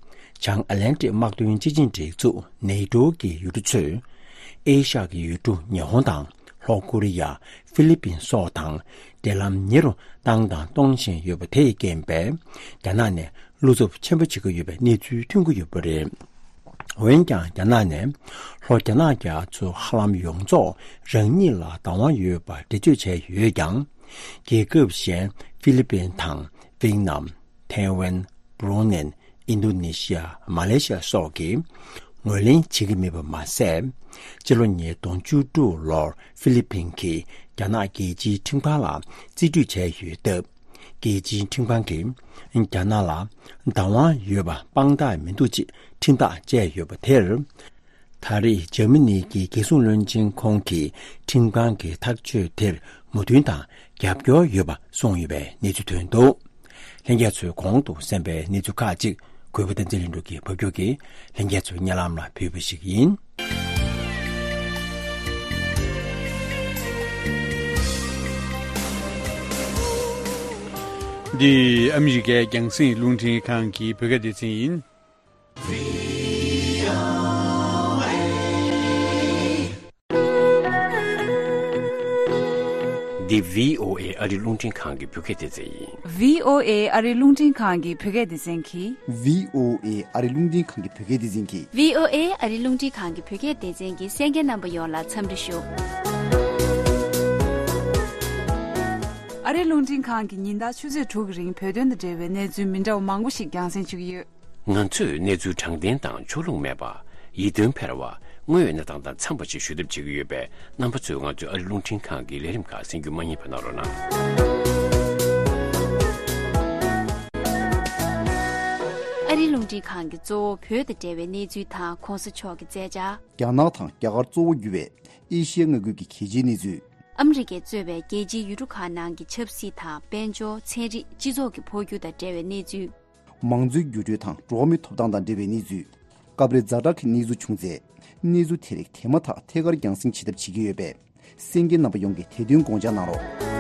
བྱང་ཨ་ལན་ཏི་དམག་དོན་སྤྱི་ཆིངས་སྒྲིག་འཛུགས་ནེ་ཏོ་ཀྱི་ཡུལ་གྲུ་ཚོས། ཨེ་ཤ་ཡའི་ཡུལ་གྲུ་ཉི་ཧོང་དང་ལྷོ་ཀོ་རི་ཡ། ཧྥི་ལི་པིན་སོགས་དང་འབྲེལ་ལམ་ཉེ་རུ་བཏང་དང་གཏོང་བཞིན་ཡོད་པ་དེས་རྐྱེན་པས། རྒྱ་ནག་ནས་བློ་འཚབ་ཆེན་པོ་བྱེད་ཀྱི་ཡོད་པའི་གནས་ཚུལ་ཐོན་གྱི་ཡོད་པ་རེད། འོན་ཀྱང་རྒྱ་ནག་ནས་ལྷོ་རྒྱ་ནག་རྒྱ་མཚོ་ཧ་ལམ་ཡོངས་རྫོགས་རང་ཉིད་ལ་བདག་དབང་ཡོད་པ་འགྲེལ་བརྗོད་བྱས་ཡོད་ཀྱང་། རྒྱལ་ཁབ་གཞན་ཧྥི་ལི་པིན་དང་ཝེད་ནམ། ཐའེ་ཝན། བྷུ་རུ་ནེ། ཨིན་རྡུ་ནེ་ཤི་ཡ། མ་ལེ་ཤི་ཡ་སོགས་ཀྱིས་ངོས་ལེན་བྱེད་ཀྱི་མེད་པ་མ་ཟད། སྤྱི་ལོ་ཉིས་སྟོང་བཅུ་དྲུག་ལོར་ཧྥི་ལི་པིན་གྱིས་རྒྱ་ནག་རྒྱལ་སྤྱིའི་ཁྲིམས་ཁང་ལ་རྩིས་སྤྲོད་བྱས་ཡོད་སྟབས། རྒྱལ་སྤྱིའི་ཁྲིམས་ཁང་གིས་རྒྱ་ནག་ལ་བདག་དབང་ཡོད་པ་དཔང་རྟགས་མི་འདུག་ཅེས་ཁྲིམས་ཐག་བཅད་ཡོད་པ་དེར། ད་རེས་འཇར་མ་ནི་གི་རྒྱལ་སྲུང་བློན་ཆེན་ཁོང་གིས་ཁྲིམས་ཁང་གི་ཐག་གཅོད་དེར་མོས་མཐུན་དང་རྒྱབ་སྐྱོར་ཡོད་པ་གསུངས་ཡོད་པའི་གནས་ཚུལ་ཐོན་འདུག། ལྷན་རྒྱས་ཚོས་གོང་དུ་གསན་པའི་གནས་ཚུལ་ཁག་ཅིག་གུས་པ་བསྟན་འཛིན་ལྷུན་གྲུབ་ཀྱིས་ཕབ་སྒྱུར་གྱིས་ལྷན་རྒྱས་ཚོའི་སྙན་ལམ་ལ་ཕུལ་བ་ཞིག་ཡིན། འདི་ཨ་མི་རི་ཀའི་རྒྱང་སྲིང་རླུང་འཕྲིན་ཁང་གི་བོད་སྐད་སྡེ་ཚན་ཡིན། འདི་བྷི་ཨོ་ཨེ་ཨ་རི་རླུང་འཕྲིན་ཁང་གི་བོད་སྐད་སྡེ་ཚན་ཡིན། བྷི་ཨོ་ཨེ་ཨ་རི་རླུང་འཕྲིན་ཁང་གི་བོད་སྐད་སྡེ་ཚན་གྱིས། བྷི་ཨོ་ཨེ་ཨ་རི་རླུང་འཕྲིན་ཁང་གི་བོད་སྐད་སྡེ་ཚན་གྱིས། བྷི་ཨོ་ཨེ་ཨ་རི་རླུང་འཕྲིན་ཁང་གི་བོད་སྐད་སྡེ་ཚན་གྱི་གསན་མཁན་རྣམ་པ་ཡོངས་ལ་འཚམས་འདྲི་ཞུ། ཨ་རི་རླུང་འཕྲིན་ཁང་གི་ཉིན་ལྟར་ཆུ་ཚོད་དྲུག་གི་རིང་བོད་དོན་དང་འབྲེལ་བའི་གནས་ཚུལ་མི་འདྲ་བ་མང་པོ་ཞིག་རྒྱང་སྲིང་ཞུ་གི་ཡོད། ང་ཚོས་གནས་ཚུལ་དྲང་བདེན་དང་ཕྱོགས་ལྷུང་མེད་པ། ཡིད་རྟོན་འཕེར་བ། དངོས་ཡོད་གནས་སྟངས་དང་འཚམས་པ་ཞིག་ཞུ་ཐབས་བྱེད་ཀྱི་ཡོད་པས་རྣམ་པ་ཚོས་ང་ཚོའི་ཨ་རི་རླུང་འཕྲིན་ཁང་གི་ལས་རིམ་ཁག་གསན་རྒྱུ་མ་བསྙེལ་བ་གནང་རོགས་གནང་། ཨ་རི་རླུང་འཕྲིན་ཁང་གིས་གཙོ་བོ་བོད་དང་འབྲེལ་བའི་གནས་ཚུལ་དང་གོང་ས་མཆོག་གི་མཛད་འཆར། རྒྱ་ནག་དང་རྒྱ་གར་གཙོ་བོ་གྱུར་བའི་ཨེ་ཤི་ཡ་མངའ་ཁུལ་གྱི་གལ་ཆེའི་གནས་ཚུལ། ཨ་མི་རི་ཀས་གཙོས་པའི་རྒྱལ་སྤྱིའི་ཡུལ་གྲུ་ཁག་ནང་གི་ཆབ་སྲིད་དང་དཔལ་འབྱོར། ཚན་རིག་སྤྱི་ཚོགས་ཀྱི་འཕོ་འགྱུར་དང་འབྲེལ་བའི་གནས་ཚུལ། མང་གཙོའི་འགྱུར་འགྲོས་དང་འགྲོ་བ་མིའི་ཐོབ་ཐང་དང་འབྲེལ་བའི་གནས་ཚུལ། སྐབས་རེ་ཛ་དྲག་གི་གནས་ཚུལ་བྱུང་ཚེ། གནས་ཚུལ་དེ་རིགས་དེ་མ་ཐག་ཐད་ཀར་རྒྱང་སྲིང་བྱེད་ཐབས་བྱེད་ཀྱི་ཡོད་པས། གསན་མཁན་རྣམ་པ་ཡོངས་ཀྱིས་དེ་དོན་དགོངས་འཇགས་གནང་རོགས།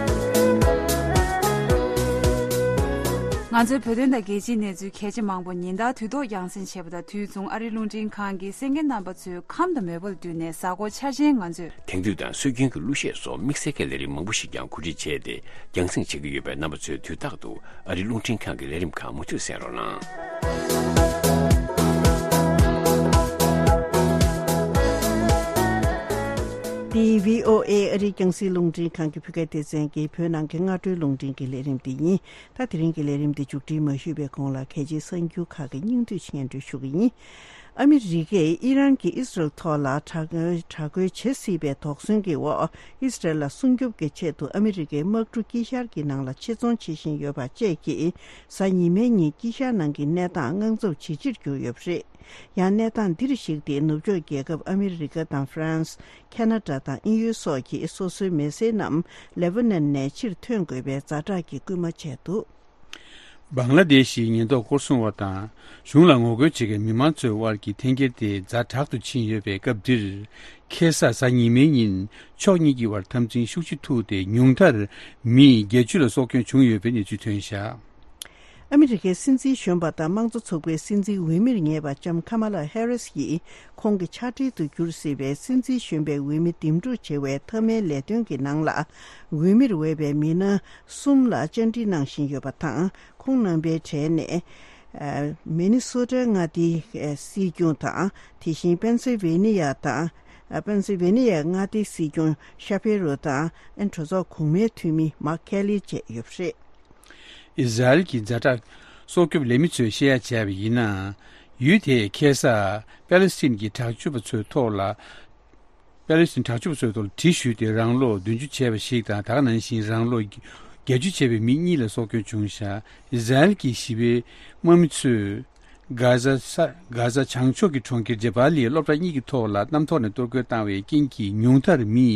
ང་ཚོའི་བོད་དོན་དང་རྒྱལ་སྤྱིའི་གནས་ཚུལ་གལ་ཆེ་མང་པོ་ཉིན་ལྟར་དུས་ཐོག་རྒྱང་སྲིང་བྱེད་པ་དང་། དུས་མཚུངས་ཨ་རིའི་རླུང་འཕྲིན་ཁང་གིས་གསན་མཁན་རྣམ་པ་ཚོའི་ཁམས་དང་མོས་པ་ལ་བསྟུན་ནས་གཟའ་འཁོར་འཆར་ཅན་ང་ཚོས། དེང་དུས་དང་སྲོལ་རྒྱུན་གྱི་གླུ་གཞས་སོགས་དམིགས་བསལ་གྱི་ལས་རིམ་མང་པོ་ཞིག་ཀྱང་གོ་སྒྲིག་བྱས་ཏེ་རྒྱང་སྲིང་བྱེད་ཀྱི་ཡོད་པས། རྣམ་པ་ཚོས་དུས་རྟག་ཏུ་ཨ་རིའི་རླུང་འཕྲིན་ཁང་གི་ལས་རིམ་ཁག་མུ་མཐུད་གསན་རོགས་གནང་། འདི་བྷི་ཨོ་ཨེ་ཨ་རིའི་རྒྱང་སྲིང་རླུང་འཕྲིན་ཁང་གི་བོད་སྐད་སྡེ་ཚན་གྱི་བོད་ནང་གི་སྔ་དྲོའི་རླུང་འཕྲིན་གྱི་ལས་རིམ་འདི་ཡིན། ད་དེ་རིང་གི་ལས་རིམ་འདི་མཇུག་སྒྲིལ་མ་ཞུས་པའི་གོང་ལ། གལ་ཆེའི་གསར་འགྱུར་ཁག་གི་སྙིང་བསྡུས་ཤིག་སྙན་སྒྲོན་ཞུ་གི་ཡིན། ཨ་མི་རི་ཀས་ཨི་རན་གྱིས་ཨི་སི་རལ་ཐོག་ལ་དྲག་དྲག་རྒོལ་བྱེད་སྲིད་པའི་དོགས་ཟོན་གྱི་འོག་ཨི་སི་རལ་ལ་སྲུང་སྐྱོབ་ཀྱི་ཆེད་དུ་ཨ་མི་རི་ཀའི་དམག་གྲུ་དཀྱིལ་ཤར་གྱི་ནང་ལ་ཆེད་རྫོང་བྱེད་བཞིན་ཡོད་པ་བཅས་ཀྱིས། གཟའ་ཉི་མའི་ཉིན་དཀྱིལ་ཤར་ནང་གི་གནས་སྟངས་དངངས་འཚབ་ཇེ་ཆེར་གྱུར་ཡོད་པ་རེད། ཡང་གནས་སྟངས་འདིར་གཞིགས་ཏེ། ནུབ་ཕྱོགས་རྒྱལ་ཁབ་ཨ་མི་རི་ཀ་དང་ཧྥ་རན་སི། ཁ་ན་ཌ་དང་དབྱིན་ཡུལ་སོགས་ཀྱིས་སོ་སོའི་མི་སེར་རྣམས་ལེ་བྷ་ནན་ནས་ཕྱིར་ཐོན་དགོས་པའི་ཛ་དྲག་གི་སྐུལ་མ་བྱས་འདུག། བང་ལ་དེཤ་ཡི་ཉེན་རྟོག་སྐོར་སྲུང་བ་དང་གཞུང་ལ་ངོ་རྒོལ་བྱེད་མཁན་མི་མང་ཚོའི་དབར་གྱི་འཐེན་འཁྱེར་དེ་ཛ་དྲག་ཏུ་ཕྱིན་ཡོད་པའི་སྐབས་འདིར། ཁ་སང་གཟའ་ཉི་མའི་ཉིན་ཕྱོགས་གཉིས་ཀྱི་དབར་འཐབ་འཛིང་ཤུགས་ཆེ་ཐུག་སྟེ། ཉུང་མཐར་མི་བརྒྱད་ཅུ་ལ་སྲོག་སྐྱོན་བྱུང་ཡོད་པའི་གནས་ཚུལ་ཐོན་བཞག། ཨ་མི་རི་ཀའི་སྲིད་འཛིན་གཞོན་པ་དང་དམངས་གཙོ་ཚོགས་པའི་སྲིད་འཛིན་འོས་མིར་ངེས་པ་ལྕམ་ཁ་མ་ལ་ཧེ་རིས་ཡིས། ཁོང་གི་ཕྱག་སྦྲེལ་དུ་གྱུར་སྲིད་པའི་སྲིད་འཛིན་གཞོན་པའི་འོས་མི་འདེམས་སྒྲུག་བྱེད་པའི་མཐའ་མའི་ལས་དོན་གྱི་ནང་ལ། འོས་མིར་འོས་པའི་མི་སྣ་གསུམ་ལ་བཅར་འདྲི་གནང་བཞིན་ཡོད་པ་དང་། ཁོང་རྣམ་པའི་གྲས་ནས། ཨ། མི་ནི་སོ་ཊ་མངའ་སྡེའི་སྲིད་སྐྱོང་དང་། དེ་བཞིན་པེན་སིལ་ཝེ་ནི་ཡ་དང་། ཨ། པེན་སིལ་ཝེ་ནི་ཡའི་མངའ་སྡེའི་སྲིད་སྐྱོང་ཤ་ཕེ་རོ་དང་། ཨ། གྲོས་ཚོགས་གོང་མའི་འཐུས་མི་མཱག་ཁེ་ལི་བཅས་ཡོད་པ་རེད། ཨི་ཟ་རེལ་གྱི་ཛ་དྲག་སྲོག་སྐྱོབ་ལས་མི་ཚོས་བཤད་ཡ་བྱས་པ་ཡིན་ན། ཡུལ་དེས་ཁ་སང་པེ་ལེ་སི་ཐན་གྱི་དྲག་སྤྱོད་པ་ཚོའི་ཐོག་ལ། པེ་ལེ་སི་ཐན་དྲག་སྤྱོད་པ་ཚོའི་ཐོག་ལ་གྲི་གཞུས་ཏེ་རང་ལོ་བདུན་ཅུ་བྱས་པ་ཞིག་དང་། ད་ག་ནང་བཞིན་རང་ལོ་བརྒྱད་ཅུ་བྱས་པའི་མི་གཉིས་ལ་སྲོག་སྐྱོན་བྱུང་བཞག། ཨི་ཟ་རེལ་གྱི་ཞི་བའི་དམག་མི་ཚོས་གྷ་ཛ་ས་གྷ་ཛ་བྱང་ཕྱོགས་ཀྱི་གྲོང་ཁྱེར་ཇེ་བྷ་ལི་ཡའི་སློབ་གྲྭ་གཉིས་ཀྱི་ཐོག་ལ་གནམ་ཐོག་ནས་གཏོར་རྒོལ་བཏང་བའི་རྐྱེན་གྱིས། ཉུང་མཐར་མི་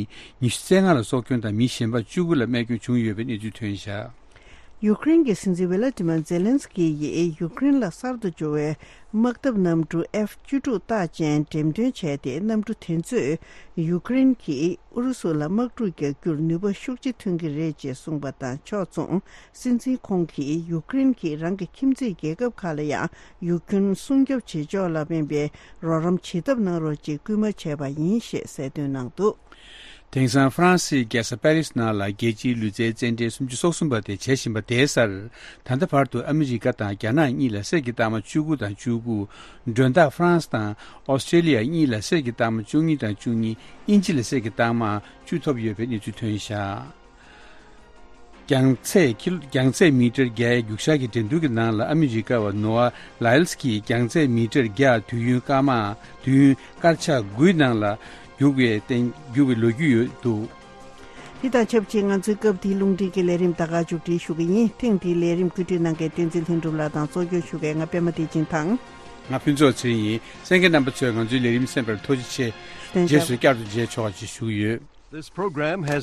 ཉི་ཤུ་རྩ་ལྔ་ལ་སྲོག་སྐྱོན་དང་། མི་གཞན་པ་བཅུ་དགུ་ལ་རྨས་སྐྱོན་བྱུང་ཡོད་པའི་གནས་ཚུལ་ཐོན་བཞག། ཡུ་ཀེ་རེན་གྱི་སྲིད་འཛིན་ཝི་ལ་ཏི་མར་ཛེ་ལན་སི་ཀི་ཡིས་ཡུ་ཀེ་རེན་ལ་གསར་དུ་འབྱོར་བའི་དམག་འཐབ་གནམ་གྲུ་ཨེཕ་བཅུ་དྲུག་རྟགས་ཅན་འགྲེམས་སྟོན་བྱས་ཏེ། གནམ་གྲུ་དེ་ཚོས་ཡུ་ཀེ་རེན་གྱིས་ཨུ་རུ་སུ་ལ་དམག་འཁྲུག་རྒྱག་རྒྱུར་ནུས་པ་ཤུགས་ཆེ་ཐོན་གྱི་རེད་ཅེས་གསུངས་པ་དང་ཕྱོགས་མཚུངས། སྲིད་འཛིན་ཁོང་གིས་ཡུ་ཀེ་རེན་གྱིས་རང་གི་ཁྱིམ་མཚེས་རྒྱལ་ཁབ་ཁག་ལ་ཡང་ཡུལ་ཁྱོན་སྲུང་སྐྱོབ་བྱེད་ཕྱོགས་ལ་དམན་པའི་རོགས་རམ་བྱེད་ཐབས་གནང་རོགས་ཅེས་སྐུལ་མ་བྱས་པ་ཡིན་ཞེས་གསལ་སྟོན་གནང་འདུག། དེང་སང་ཧྥ་རན་སིའི་རྒྱལ་ས་པེ་རིས་ནང་ལ་རྒྱལ་སྤྱིའི་ལུས་རྩལ་རྩེད་འགྲན་སུམ་ཅུ་སོ་གསུམ་པ་དེ་བྱེད་བཞིན་པ་དེའི་སར། ད་ལྟ་བར་དུ་ཨ་མི་རི་ཀ་དང་རྒྱ་ནག་གཉིས་ལ་གསེར་གྱི་རྟགས་མ་བཅུ་དགུ་དང་བཅུ་དགུ། མགྲོན་བདག་ཧྥ་རན་སི་དང་ཨོ་སི་ཀྲེ་ལི་ཡ་གཉིས་ལ་གསེར་གྱི་རྟགས་མ་བཅུ་གཉིས་དང་བཅུ་གཉིས། དབྱིན་ཇི་ལ་གསེར་གྱི་རྟགས་མ་བཅུ་ཐོབ་ཡོད་པའི་གནས་ཚུལ་ཐོན་བཞག། རྒྱང་ཚད་ཀི་ལོ་རྒྱང་ཚད་མི་ཊར་བརྒྱ་རྒྱུག་ཤར་གྱི་འགྲན་བསྡུར་གྱི་ནང་ལ་ཨ་མི་རི་ཀ་བ་ནོ་ཨ་ལའིལ་སི་ཀྱིས་རྒྱང་ཚད་མི་ཊར་བརྒྱ་དུས་ཡུན་སྐར་མ་དུས་ཡུན་སྐར་ཆ་དགུའི་ནང་ལ་རྒྱུག་པའི་སྟེང་རྒྱུག་པའི་ལོ་རྒྱུས་ཡོད་འདུག། དེ་དང་ཆབས་ཅིག་ང་ཚོའི་སྐབས་འདིའི་རླུང་འཕྲིན་གྱི་ལས་རིམ་ད་ག་མཇུག་སྒྲིལ་ཞུ་གི་ཡིན། ཐེངས་འདིའི་ལས་རིམ་བཀོད་སྒྲིག་གནང་མཁན་བསྟན་འཛིན་ལྷུན་གྲུབ་ལགས་དང་གཙོ་སྐྱོང་ཞུ་མཁན་ང་པད་མ་བདེ་ཆེན་དང་། ང་ཕུན་ཚོགས་ཚེ་རིང་ཡིན། གསན་མཁན་རྣམ་པ་ཚོས་ང་ཚོའི་ལས་རིམ་གསན་པར་ཐུགས་རྗེ་ཆེ། ལྷན་རྒྱས། རྗེས་སུ་བསྐྱར་དུ་མཇལ་ཆོག་ཅེས་ཞུ་གི་ཡོད། This program has